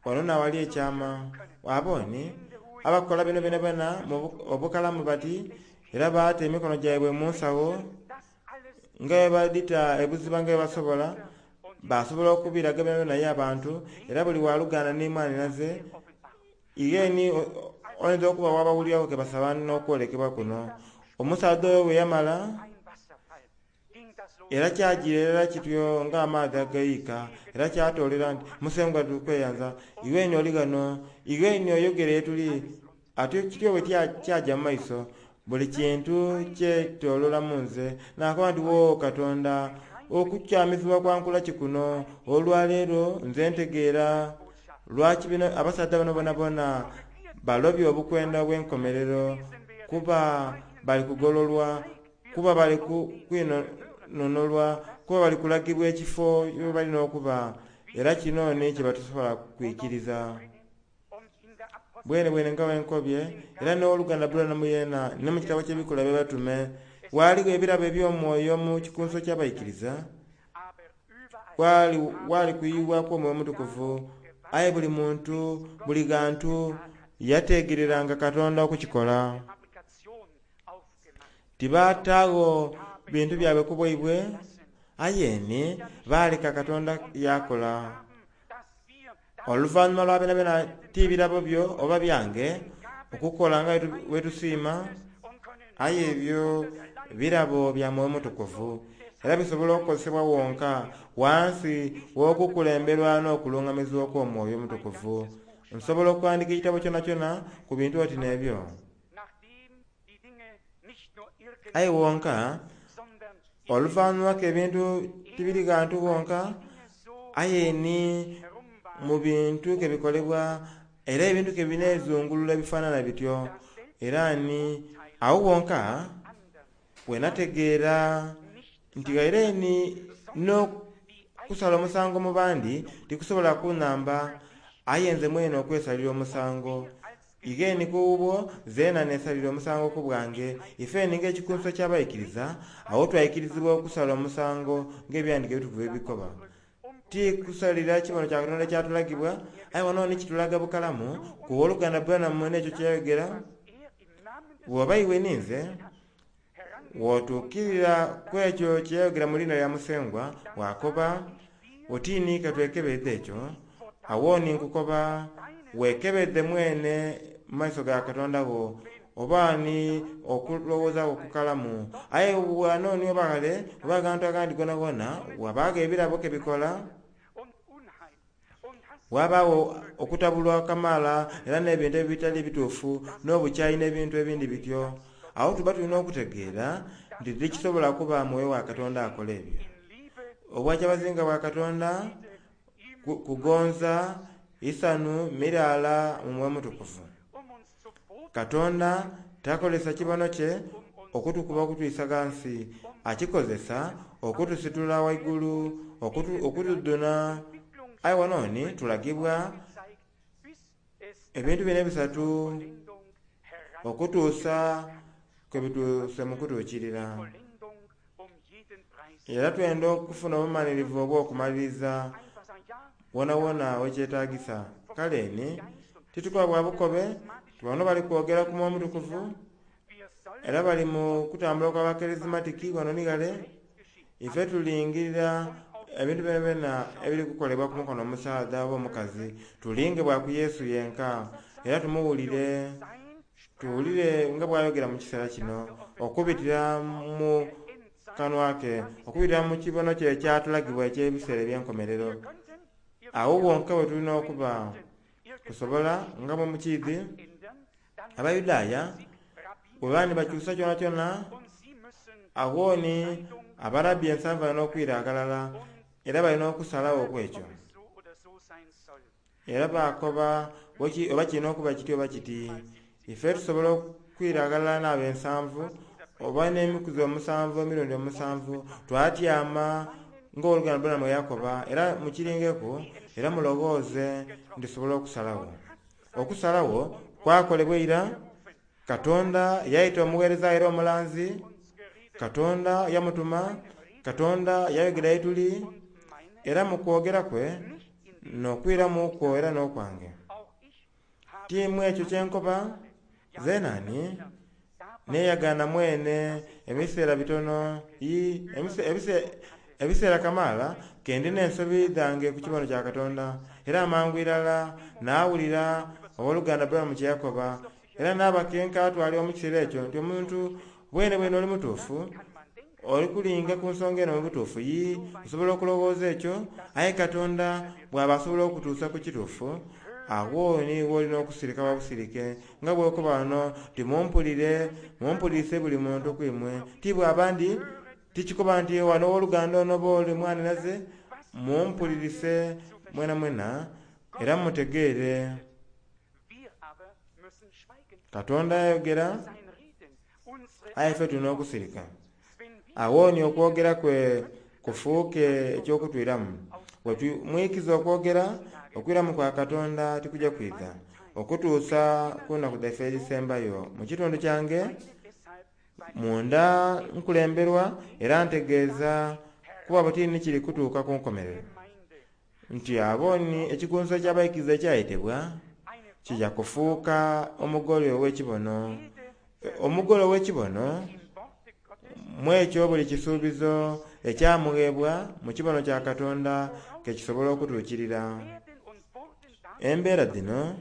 Wano n'awali ekyama. Abo ni abakola bino byonabyona mu obukalamu bati, era baata emikono gyaibwe mu nsawo nga bwe badhita ebuziba nga bwe basobola, basobola okubiraga byonabyona ye abantu, era buli waluganda ni mwanhinaze, igheni oyinza okuba wabawuliraku ke basaba n'okwolekebwa kuno. Omusaadha oyo bwe yamala, era kyajiira irala kityo ng'amaadhi agayiika, era kyatoolera nti, Musengwa tukweyanza, iwe ni oli ghano, iwe ni oyogera ye tuli. Atyo kityo bwe kyaja mu maiso, buli kintu kyetooloola mu nze. Naakoba nti, Wo Katonda, okukyamizibwa kwankula ki kuno? Olwaleero nze ntegeera lwaki bino abasaadha bano bonabona balobye obukwenda obw'enkomerero, kuba bali kugololwa, kuba bali kwinonolwa, kuba bali kulagibwa ekifo ye balina okuba. Era kino ni kye batasobola kwikiriza. Bwene bwene nga bwenkobye, era n'owoluganda Branham yeena, ni mu kitabo ky'Ebikolwa by'Abatume, ghaligho ebirabo eby'omwoyo mu kikunso ky'abaikiriza, wali, wali kuyibwaku Omwoyo Omutukuvu, aye buli muntu, buli ghantu, yateegereranga Katonda okukikola. Tibaataagho bintu byabwe ku bwaibwe, aye ni baaleka Katonda yaakola. Oluvannyuma lwa byonabyona ti birabo byo oba byange okukola nga bwe tusiima, aye ebyo birabo bya Mwoyo Mutukuvu, era bisobola okukozesebwa wonka wansi w'okukulemberwa n'okulungamizibwa okw'Omwoyo Omutukuvu. Nsobola okuwandiika ekitabo kyonakyona ku bintu oti n'ebyo. Aye wonka oluvannyuma k'ebintu tibiri ghantu wonka, aye ni mu bintu ke bikolebwa, era ebintu ke bineezungulula ebifaanana bityo. Era ni agho wonka bwe nategeera nti ghaire ni n'okusala omusango mu bandi tikusobola kunhamba, aye nze mwene okwesalira omusango. Igheni ku bubwo, zeena neesalira omusango ku bwange. Ifeni ng'ekikunso ky'abaikiriza, agho twaikirizibwa okusala omusango ng'Ebyandiiko Ebitukuvu bwe bikoba. Ti kusalira kibono kya Katonda ekyatulagibwa, aye wano ni kitulaga bukalamu ku woluganda Branham n'ekyo kye yayogera. Bw'oba iwe ninze, bw'otuukirira ku ekyo kye yayogera mu liina lya Musengwa, waakoba oti ni ka twekebeedhe ekyo, agho ni nkukoba weekebeedhe mwene mu maiso ga Katonda wo, oba ni okulowooza kwo kukalamu. Aye ghano ni oba ghale, oba aghantu aghandi ghonaghoona, ghabaagho ebirabo ke bikola, ghabaagho okutabulwa kamaala era n'ebintu ebitali bituufu, n'obukyayi n'ebintu ebindi bityo. Agho tuba tulina okutegeera nti tikisobola kuba Mwoyo wa Katonda akola ebyo. Obwakyabazinga bwa Katonda kugonza, isanhu, miraala mu Mwoyo Mutukuvu. Katonda takozesa kibono kye okutukuba okutwisa ghansi, akikozesa okutusitula waigulu, okutudhuna. Aye wano ni tulagibwa ebintu bino ebisatu okutuusa kwe bituuse mu kutuukirira. Era twenda okufuna obumalirivu obw'okumaliriza wonawona wekyetaagisa. Kale ni titukoba bwa bukobe, ti bano bali kwogera ku Mwoyo Mutukuvu, era bali mu kutambula okw'Abakarismatiki ghano ni ghale. Ife tulingirira ebintu byonabyona ebiri kukolebwa ku mukono omusaadha oba omukazi, tulinge bwa ku Yesu yenka, era tumuwulire, tuwulire nga bw'ayogera mu kiseera kino, okubitira mu kanwa ke, okubitira mu kibono kye ekyatulagibwa eky'ebiseera eby'enkomerero. Agho wonka we tulina okuba. Kusobola nga bwe mukiidhi, Abayudaaya Bwebaba nibakyusa kyonakyona, agho ni abarabbi ensanvu balina okwira aghalala era balina okusalagho okwekyo. Era bakoba oba kirina okuba kiti oba kiti. Ife tusobola okwira aghalala n'abensanvu oba n'emikuzi omusanvu emirundi omusanvu twatyama ng'oluganda Branham bwe yakoba, era mukiringeku era mulowooze nti tusobola okusalagho. Okusalagho kwakolebwa ira. Katonda yaita omugheereza era omulanzi, Katonda yamutuma, Katonda yayogera ye tuli, era mu kwogera kwe n'okwiramu kwo era n'okwange. Ti mu ekyo kye nkoba, zeena ni neeyagaana mwene ebiseera bitono, yii, ebiseera kamaala ke ndi n'ensobi dhange ku kibono kya Katonda. Era amangu irala naawulira Owoluganda Branham kye yakoba, era naaba ke nkaatwalibwa mu kiseera ekyo nti omuntu bwenebwene oli mutuufu, oli kulinga ku nsonga eno mu butuufu. Yii, osobola okulowooza ekyo, aye Katonda bw'aba asobola okutuusa ku kituufu, agho ni w'olina okusirika bwa busirike, nga bw'okoba ghano nti, Mumpulire, mumpulirise buli muntu ku imwe. Ti bw'aba ndi, tikikoba nti ghano ow'oluganda ono oba ole mwanhinaze, mumpulirise mwenamwena era mutegeere. Katonda yayogera, aye ife tuli n'okusirika. Agho ni okwogera kwe kufuuke eky'okutwiramu. Bwe tumwikiza okwogera, okwiramu kwa Katonda tikuja kwidha okutuusa ku nnaku dhaife edhisembayo. Mu kitundu kyange munda nkulemberwa era ntegeeza kuba buti ni kiri kutuuka ku nkomerero. Nti abo ni ekikunsu eky'abaikiriza ekyayetebwa, kija kufuuka omugole ow'ekibono. Omugole ow'ekibono, mu ekyo buli kisuubizo ekyamugheebwa mu kibono kya Katonda ke kisobola okutuukirira. Embeera dhino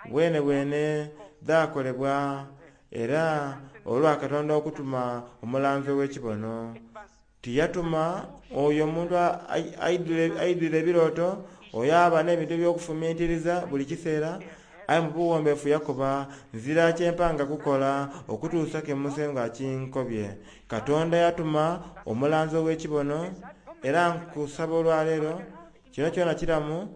bwenebwene dhaakolebwa era olwa Katonda okutuma omulanzi ow'ekibono. Tiyatuma oyo omuntu aidhwire ebirooto, oyo aba n'ebintu eby'okufumintiriza buli kiseera, aye mu buwombeefu yakoba, Nzira kye mpanga kukola okutuusa ke Musengwa akinkobye. Katonda yatuma omulanzi ow'ekibono, era nkusaba olwaleero, kino kyona kiramu,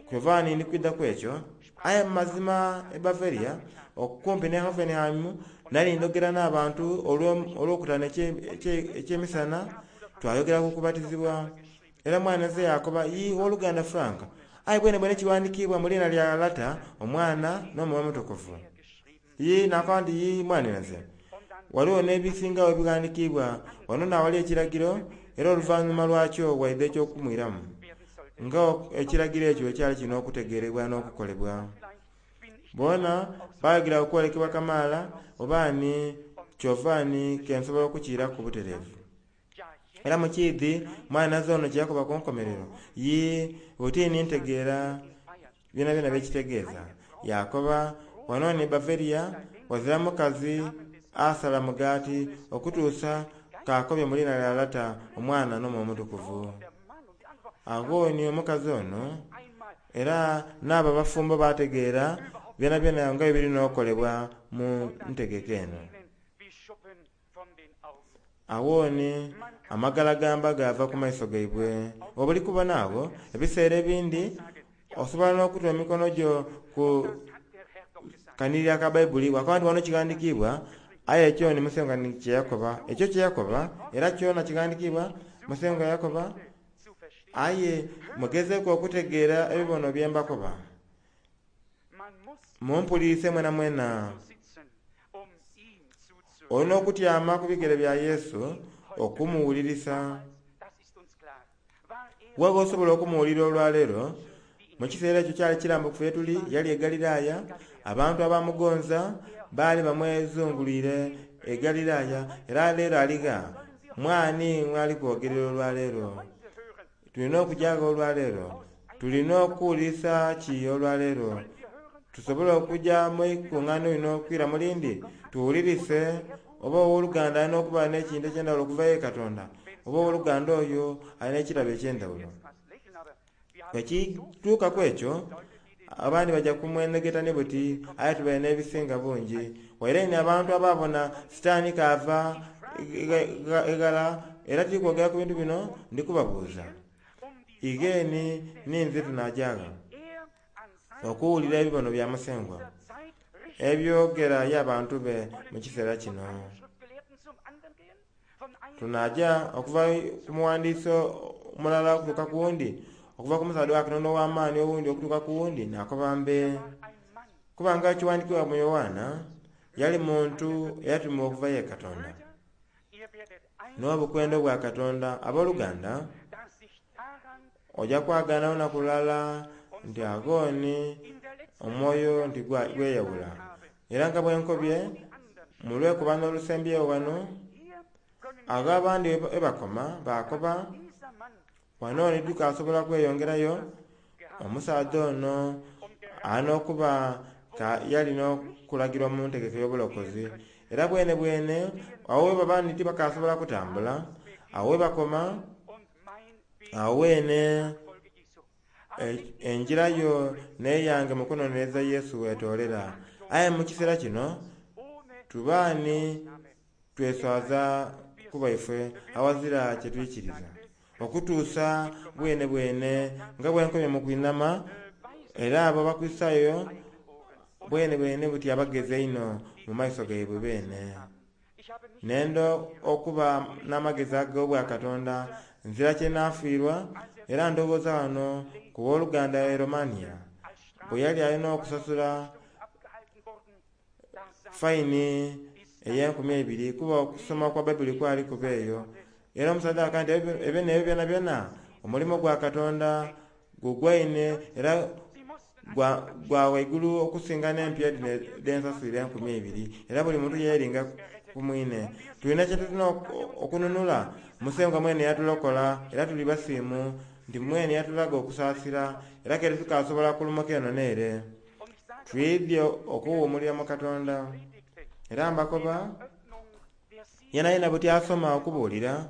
kyova ni ndi kwidha ku ekyo. Aye mu mazima e Bavaria, okumpi n'e Hoffenheim, nali ndhogera n'abantu olwokutaanu eky'emisana, twayogera ku kubatizibwa. Era mwanhinaze yaakoba, Yii, Owoluganda Frank, aye bwenebwene kiwandikiibwa mu liina lya Lata, Omwana, n'Omwoyo Omutukuvu? Yii, naakoba nti, Yii, mwanhinaze. Ghaligho n'ebisingagho ebighandikiibwa. Wano n'awali ekiragiro, era oluvanhuma lwakyo waidha eky'okumwiramu. Nga ekiragiro ekyo bwe kyali kirina okutegeerebwa n'okukolebwa. Boona baayogera ku kwolekebwa kamaala, oba ni kyova ni ke nsobola okukiiraku butereevu. Era mukiidhi mwanhinaze ono kye yakoba ku nkomerero? Yii, buti ni ntegeera byonabyona bye kitegeeza. Yaakoba, Wano ni Bavaria, ghazira mukazi asala mugaati okutuusa k'akobye mu liina lya Lata, Omwana, n'Omwoyo Omutukuvu. Agho ni omukazi ono era n'abo abafumbo baategeera byonabyona nga bwe biri n'okolebwa mu ntegeka eno. Agho ni amagalagamba gaava ku maiso gaibwe. Bw'oba oli kubona agho, ebiseera ebindi osobola n'okuta emikono gyo ku kanhiriri aka Baibuli wakoba nti wano kighandikiibwa, aye ekyo ni Musengwa ni kye yakoba. Ekyo kye yakoba era kyona kighandikiibwa, Musengwa yakoba, aye mugezeeku okutegeera ebibono bye mbakoba. Mumpulirise mwenamwena. Oli n'okutyama ku bigere bya Yesu okumuwulirisa. Wa gh'osobola okumuwulira olwaleero? Mu kiseera ekyo kyali kirambukufu ye tuli, yali e Galilaaya. Abantu abamugonza baali bamwezungulwire e Galilaaya. Era leero ali gha? Mwani mw'ali kwogerera olwaleero? Tulina okuja gha olwaleero? Tulina okuwulirisa ki olwaleero? Tusobola okuja mu ikungaaniro lino okwira mu lindi tuwulirise oba owoluganda alina okuba n'ekintu eky'endhawulo okuva ye Katonda, oba owoluganda oyo alina ekirabo eky'endhawulo. Bwe kituuka ku ekyo, Abandi baja kumwenegeta ni buti, aye tubaire n'ebisinga bungi. Waire ni abantu ababona sitaani kaava eghala, era tiri kwogera ku bintu bino, ndi kubabuuza. Igheeni ninze tunaajaagha okuwulira ebibono bya Musengwa ebyogera ye abantu be mu kiseera kino. Tunaaja okuva ku muwandiisi omulala okutuuka ku wundi, okuva ku musaadha wa Katonda ow'amaani owundi okutuuka ku wundi, naakoba mbe. Kubanga ekiwandiikibwa mu Yoanna, yali muntu eyatumibwa okuva ye Katonda. N'obukwenda obwa Katonda. Abooluganda, oja kwagaana lunaku lulala nti agooni omwoyo nti gweyawula. Era nga bwe nkobye mu lwekobano olusembyewo wano, agho abandi we bakoma baakoba, wano ni tukasobola kweyongerayo, omusaadha ono alina okuba yalina okulagirwa mu ntegeka ey'obulokozi. Era bwene bwene awo we baba nti tibakasobola kutambula, awo we bakoma, awo weene enjira yo n'eyange mu kunonereza Yesu wetoolera. Aye mu kiseera kino tubaani tweswaza ku baife awazira kye twikiriza. Okutuusa bwene bwene nga bwenkomye mu kwinama, era abo Abakristaayo bwene bwene buti abagezi einho mu maiso gaibwe beene. Nenda okuba n'amagezi ag'obwakatonda, nzira kye naafiirwa, era ndowooza wano ku wooluganda e Romania bwe yali alina okusasula faini ey'enkumi eibiri kuba okusoma kwa Baibuli kwali kuba eyo. Era omusaadha aka nti ebyo n'ebyo byonabyona omulimo gwa Katonda gugwaine era gwa waigulu okusinga n'empya dhino dh'ensaswire 2000. Era buli muntu yeeringa ku mwine. Tulina kye tulina okununula. Musengwa mwene yatulokola era tuli basiimu nti mwene yatulaga okusaasira era kere tukasobola kulumuka eno n'ere. Twidhye okuwuumulira mu Katonda. Era mbakoba yena yena buti asoma okubuulira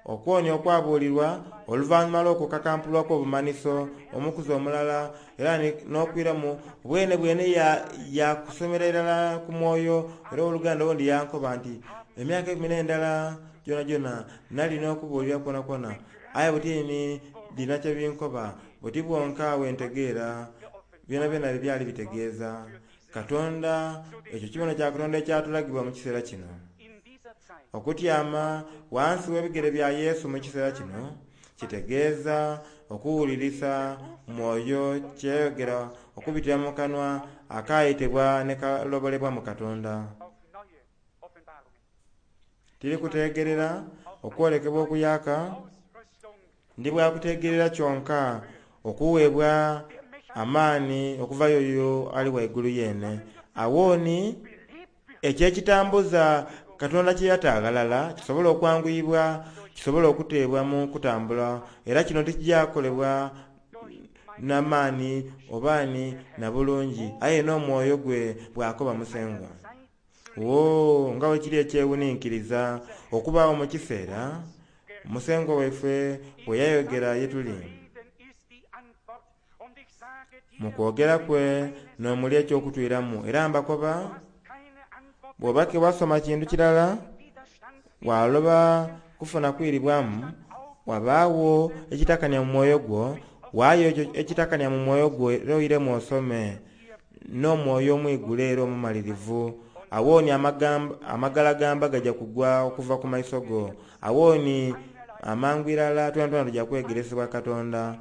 okwonya okwabuulirwa oluvannyuma lw'okukakampulwa kw'obumanhiso omukuzi omulala era n'okwiramu bwene bwene yakusomera irala ku mwoyo. Era oluganda olundi yankoba nti emyaka 11 gyonagyona nalina okubuulira kwonakwona, aye butini dhina kye binkoba buti bwonka wentegeera byonabyona byali bitegeeza. Katonda, ekyo kibono kya Katonda ekyatulagibwa mu kiseera kino. Okutyama wansi w'ebigere bya Yesu mu kiseera kino kitegeeza okuwulirisa mwoyo kyeyogera okubitira mu kanwa akayitibwa ne kalobolebwa mu Katonda. Tiri kutegerera okwolekebwa okuyaka, ndi bwakutegerera kyonka okuweebwa amaani okuva yoyo ali waigulu yeene. Awooni ekyekitambuza Katonda kye yata aghalala kisobola okwanguyibwa, kisobola okuteebwa mu kutambula, era kino tikijakolebwa n'amaani obaani na bulungi, aye n'omwoyo gwe bw'akoba Musengwa. Wo nga bwe kiri ekyewuninkiriza okubaawo mu kiseera Musengwa waife bwe yayogera ye tuli. Mu kwogera kwe n'omuli eky'okutwiramu, era mbakoba bw'oba ke wasoma kintu kirala waloba kufuna kwiribwamu, wabaawo ekitakania mu mwoyo gwo, waayo ekyo ekitakania mu mwoyo gwo era oiremu osome n'omwoyo omwigule era omumalirivu. Awooni amagalagamba gaja kugwa okuva ku maiso go. Awooni amangu irala twena tujja kwegeresebwa Katonda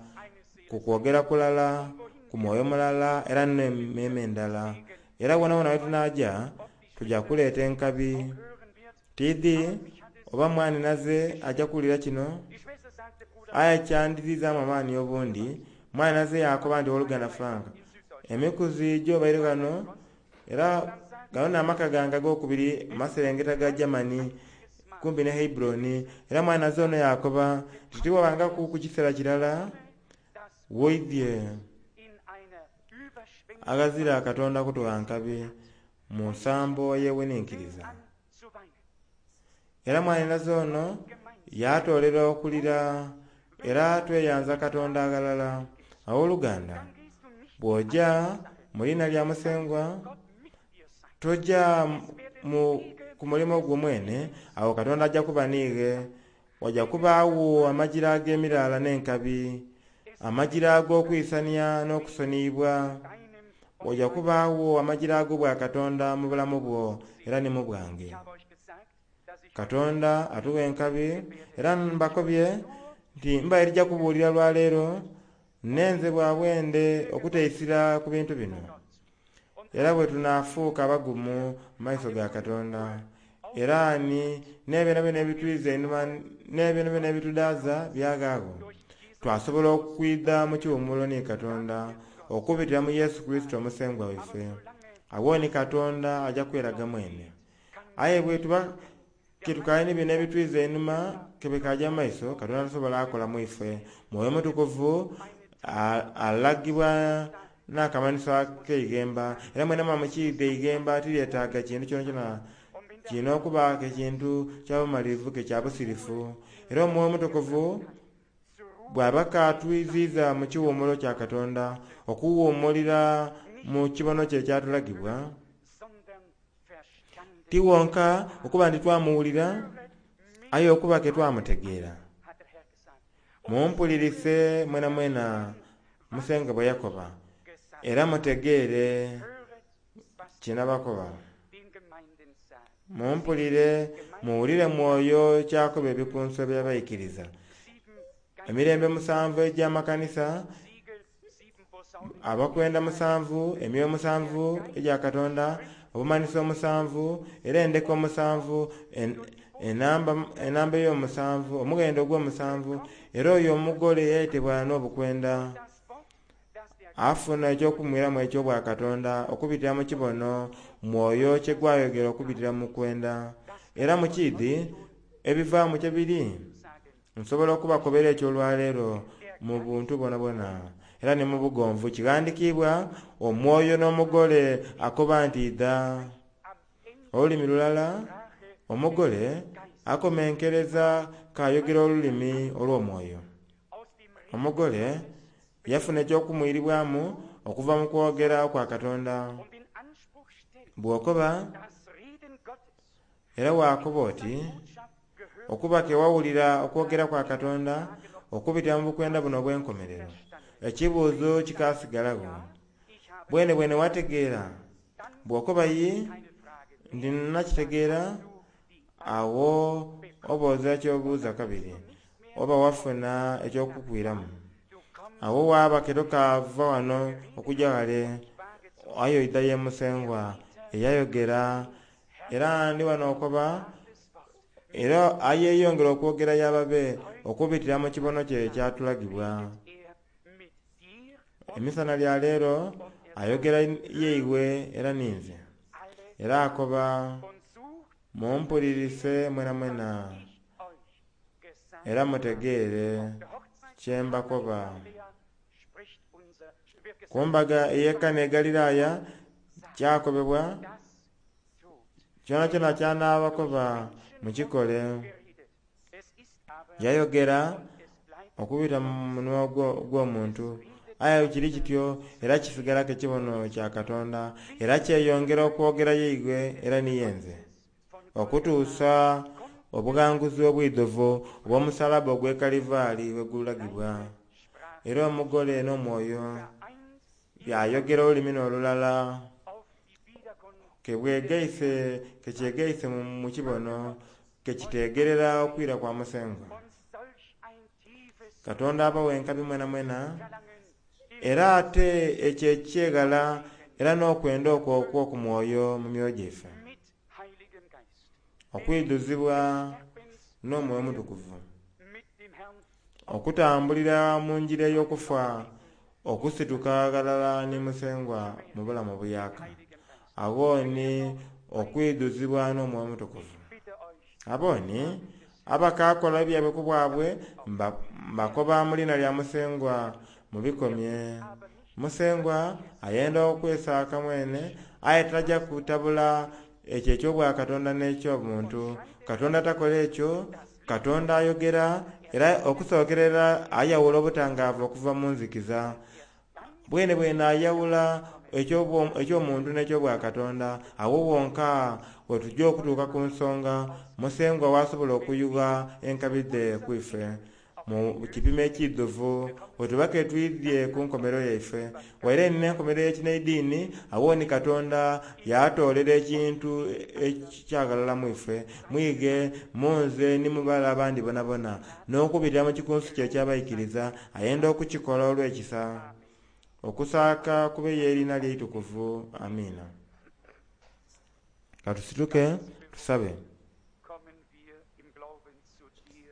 ku kwogera kulala, ku mwoyo mulala era n'emmeeme endala. Era wonawona we tunaaja tujja kuleeta enkabi. Tiidhi oba mwanhinaze ajja kuwulira kino, aye kyandizizaamu amaani obundi. Mwanhinaze yakoba nti owooluganda Frank, emikuzi gy'obaire ghano era gano n'amaka gange ag'okubiri mu maserengeta ga Germany kumpi ne Hebron. Era mwanhinaze ono yakoba nti tiwabangaku ku kiseera kirala woidhye aghazira Katonda kutuwa nkabi mu nsambo eyewuninkiriza. Era mwanhinaze ono yatoolera okulira era tweyanza Katonda aghalala. Awooluganda, Bw'oja mu liina lya Musengwa, toja mu, ku mulimo gwo mwene, agho Katonda aja kuba niighe. Waja kubaagho amajira ag'emiraala n'enkabi, amajira ag'okwisania n'okusoniyibwa. Waja kubaagho amajira ag'obwakatonda mu bulamu bwo era ni mu bwange. Katonda atuwa enkabi, era mbakobye nti mbaire tija kubuulira lwaleero, nenze bwa bwende okuteisira ku bintu bino. Era bwe tunaafuuka abagumu mu maiso ga Katonda, era ni n'ebyonabyona ebitwiza einhuma n'ebyonabyona ebitudaaza byagaagho, twasobola okwidha mu kiwumulo ni Katonda okubitira mu Yesu Kurisito Omusengwa waife. Agho ni Katonda aja kweraga mwene. Aye bwetuba ketukaali ni bino ebitwiza einhuma kebikaja mu maiso, Katonda tasobola akola mu ife. Mwoyo Mutukuvu alagibwa n'akamanhiso ak'eighemba, era mwena mwamukiidha eighemba tiryetaaga kintu kyonakyona kirina okuba ekintu kya bumalirivu ke kya busirifu. Era Omwoyo Omutukuvu bw'aba k'atwiziiza mu kiwumulo kya Katonda, okuwuumulira mu kibono kye ekyatulagibwa, ti wonka okuba nti twamuwulira, aye okuba ke twamutegeera. Mumpulirise mwenamwena Musengwa bwe yakoba, era mutegeere kye nabakoba. Mumpulire, muwulire Mwoyo ky'akoba ebikunsu eby'abaikiriza. Emirembe musanvu egy'amakanisa, abakwenda musanvu, emyoyo musanvu egya Katonda, obumanhiso omusanvu, era endeka omusanvu, enamba ey'omusanvu, omughendo ogw'omusanvu, era oyo omugole eyayetebwa n'obukwenda afuna eky'okumwiramu eky'obwakatonda okubitira mu kibono Mwoyo kye gwayogera okubitira mu kwenda. Era mu kiidhi ebivaamu kye biri, nsobola okubakobera ekyo olwaleero mu buntu bwonabwona era ni mu bugonvu. Kighandikiibwa omwoyo n'omugole akoba nti idha. Olulimi lulala, omugole akomenkereza k'ayogera olulimi olw'omwoyo. Omugole yafuna eky'okumwiribwamu okuva mu kwogera kwa Katonda. Bw'okoba era waakoba oti okuba ke wawulira okwogera kwa Katonda okubitira mu bukwenda buno obw'enkomerero, ekibuuzo kikaasigalagho. Bwene bwene wategeera? Bw'okoba yi nti nakitegeera, agho oba ozira ky'obuuza kabiri, oba wafuna eky'okukwiramu. Agho waaba ke tokaava wano okuja ghale, aye oidha ye Musengwa eyayogera. Era ndi wano okoba, era ayeeyongera okwogera y'ababe okubitira mu kibono kye ekyatulagibwa. Emisana lya leero ayogera yeiwe era ninze. Era akoba, mumpulirise mwenamwena era mutegeere kye mbakoba. Ku mbaga ey'e Kana e Galilaya kyakobebwa, kyonakyona ky'anaabakoba mukikole. Yayogera okubita mu munwa ogw'omuntu, aye kiri kityo era kisigalaku ekibono kya Katonda, era kyeyongera okwogera yeigwe era ni yenze, okutuusa obughanguzi obwidhuvu obw'omusalaba ogw'e Kalivaali bwe gulagibwa. Era omugole n'omwoyo byayogera olulimi n'olulala, ke bwegaise, ke kyegaise mu kibono, ke kiteegerera okwira kwa Musengwa. Katonda abawe enkabi mwenamwena, era ate ekyo ekyeghala era n'okwenda okwo okw'oku mwoyo mu myoyo gyaife, okwidhuzibwa n'Omwoyo Omutukuvu, okutambulira mu ngira ey'okufa, okusituka ghalala ni Musengwa mu bulamu obuyaaka. Agho ni okwidhuzibwa n'Omwoyo Omutukuvu. Abo ni abakaakola ebyaibwe ku bwabwe mbakoba mu liina lya Musengwa mubikomye. Musengwa ayenda okwesaaka mwene, aye taja kutabula ekyo eky'obwakatonda n'eky'obuntu. Katonda takola ekyo, Katonda ayogera era okusookerera ayawula obutangaavu okuva mu nzikiza. Bwene bwene ayawula eky'omuntu n'eky'obwakatonda. Awo wonka wetujja okutuuka ku nsonga Musengwa wasobola okuyugha enkabi dhe ku ife mu kipimo ekiidhuvu, wetuba ke twidhye ku nkomerero yaife. Waire nina enkomerero y'ekinaidiini, awo ni Katonda yatoolera ekintu ekyagalala mu ife, mwighe, munze ni mu bale abandi bonabona, n'okubitira mu kikunsu kye eky'abaikiriza, ayenda okukikola olw'ekisa. Okusaaka kube y'eriina lye eitukuvu. Amiina. Katusituke tusabe. Kommen wir im Glauben zu dir,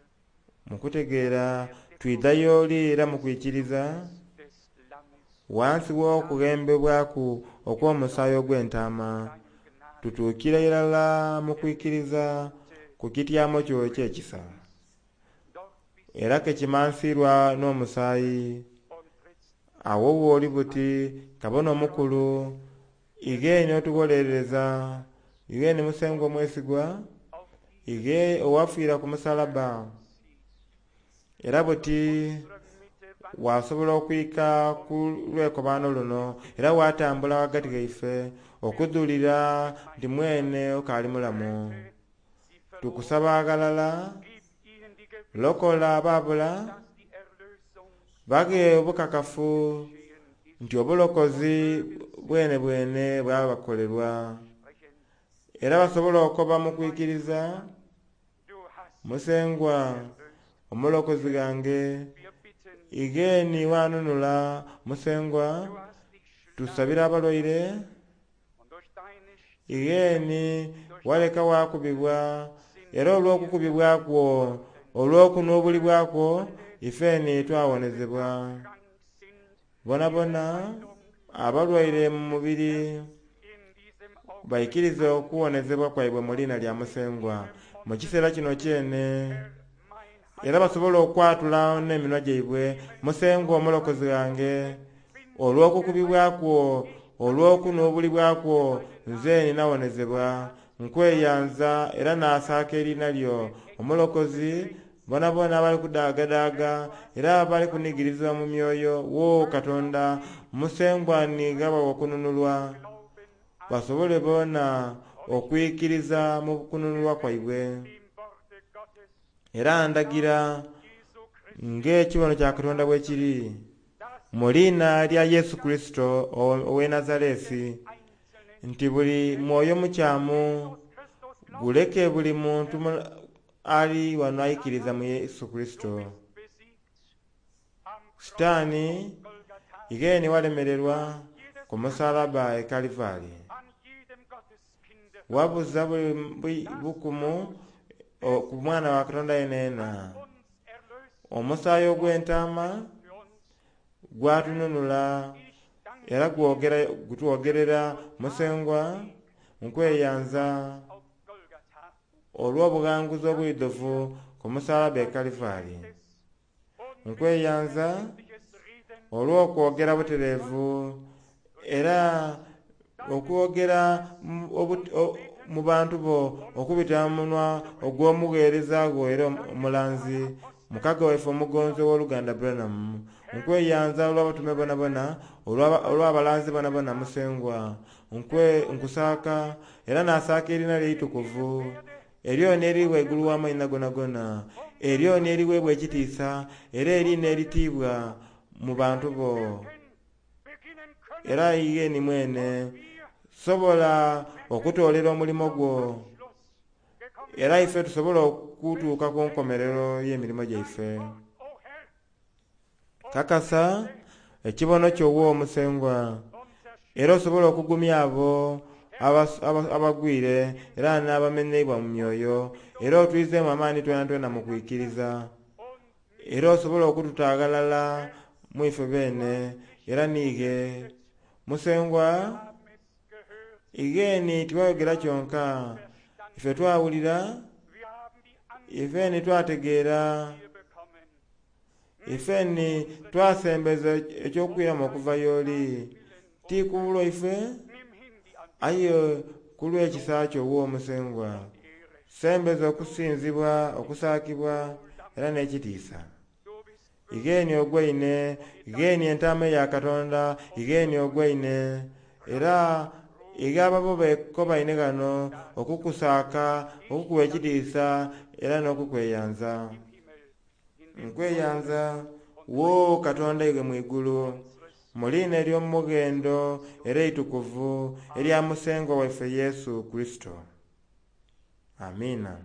Mu kutegeera twidha y'oli era mu kwikiriza, des Lammes, wansi w'okughembebwaku okw'omusaayi ogw'entaama, deinem Gnaden, tutuukire irala mu kwikiriza ku kityamo kyo eky'ekisa. dort bist Era ke kimansiirwa n'omusaayi. und trittst Awo w'oli buti kabona omukulu, ighe n'otugholerereza, ighe ni Musengwa omwesigwa, auf die ighe owafiira ku musalaba. siehst. Era buti Unsere Mitte wandelst wasobola okwika ku lwekobaano luno era watambula ghagati ghaife okudhulira nti mwene okaali mulamu. sie verloren. Tukusaba ghalala, Gib ihnen die Gewissheit, lokola abaabula, dass die Erlösung baghe obukakafu geschehen ist. nti obulokozi bwene bwene bwabakolerwa. Sprechen. Era basobole okoba mu kwikiriza, Du hast Musengwa erlöst. omulokozi ghange, Wir bitten, ighe ni wanunula Musengwa, du hast dich schlagen tusabira abalwaire, und durch deine ighe ni waleka wakubibwa, era olw'okukubibwa kwo, olw'okunuubulibwa kwo, ifeni twawonezebwa. krank sind, Bonabona abalwaire mu mubiri in diesem Augenblick baikirize okuwonezebwa kwaibwe mu liina lya Musengwa mu kiseera kino kyene, mein era basobole okwatula n'eminwa gyaibwe, Musengwa omulokozi ghange, olw'okukubibwa kwo, olw'okunuubulibwa kwo, nze ninawonezebwa. Nkweyanza era naasaaka eriina lyo omulokozi. Bonabona abali kudaagadaaga era abali kunigirizibwa mu myoyo, wo Katonda Musengwa nigaba okununulwa, Glauben basobole boona okwikiriza mu kununulwa kwaibwe. dem Worte Gottes, Era ndagira Jesu Christi, ng'ekibono kya Katonda bwe kiri, dass mu liina lya Yesu Kurisito ow'e Nazaresi, einzelne nti buli mwoyo mukyamu Christus glaubt, guleke buli muntu ali wano aikiriza mu Yesu Kurisito. besiegt am Sitaani Golgatha, ighe ni walemererwa ku musalaba e Kalivari, an jedem Gotteskind wabuza buli bukumu ku mwana wa Katonda yenena. uns erlöst Omusaayi ogw'entaama für uns. gwatununula Ich danke era gutwogerera Musengwa nkweyanza auf Golgatha olw'obughanguzi obwidhuvu ku musalaba e Kalivari. des Nkweyanza unmögliches Reden olw'okwogera butereevu era okwogera mu bantu bo okubita mu munwa ogw'omugheereza gwo era omulanzi mukago waife omugonzi ow'oluganda Branham. Nkweyanza olw'abatume bonabona, olw'abalanzi bonabona Musengwa. Nkusaaka era naasaaka eriina lye eitukuvu, eryo n'eri waigulu w'amaina gonagona, eryo n'eriweebwa ekitiisa era eriina eritiibwa mu bantu bo. beginnen können Era iye ni mwene wir sobola okutoolera omulimo gwo, Schluss gekommen. era ife tusobole okutuuka ku nkomerero y'emirimo gyaife. O Herr, Kakasa ekibono kyo wo Musengwa, unser era osobole okugumya abo abagwire era n'abamenyeibwa mu myoyo, era otwizeemu amaani twenatwena mu kwikiriza, und era osobole okututaaghalala mu ife beene era niighe. Musengwa, haben es gehört, ighe ni tiwayogera kyonka, ife twawulira, wir haben die Antwort ife ni twategeera, bekommen. ife ni twasembeza ekyokwiramu okuva y'oli. Ti ku lwaife, Nimm hin die Antwort, aye ku lw'ekisa kyo wo Musengwa. Ehre. Sembeza okusinzibwa, okusaakibwa era n'ekitiisa. Du bist Igheeni ogwaine, igheeni entaama eya Katonda, igheeni ogwaine. Era ighe ababo bekobaine ghano okukusaaka, okukuwa ekitiisa era n'okukweyanza. Nkweyanza wo Katonda iwe mu igulu, mu liina ery'omughendo era eitukuvu erya Musengwa waife Yesu Kurisito. Amiina.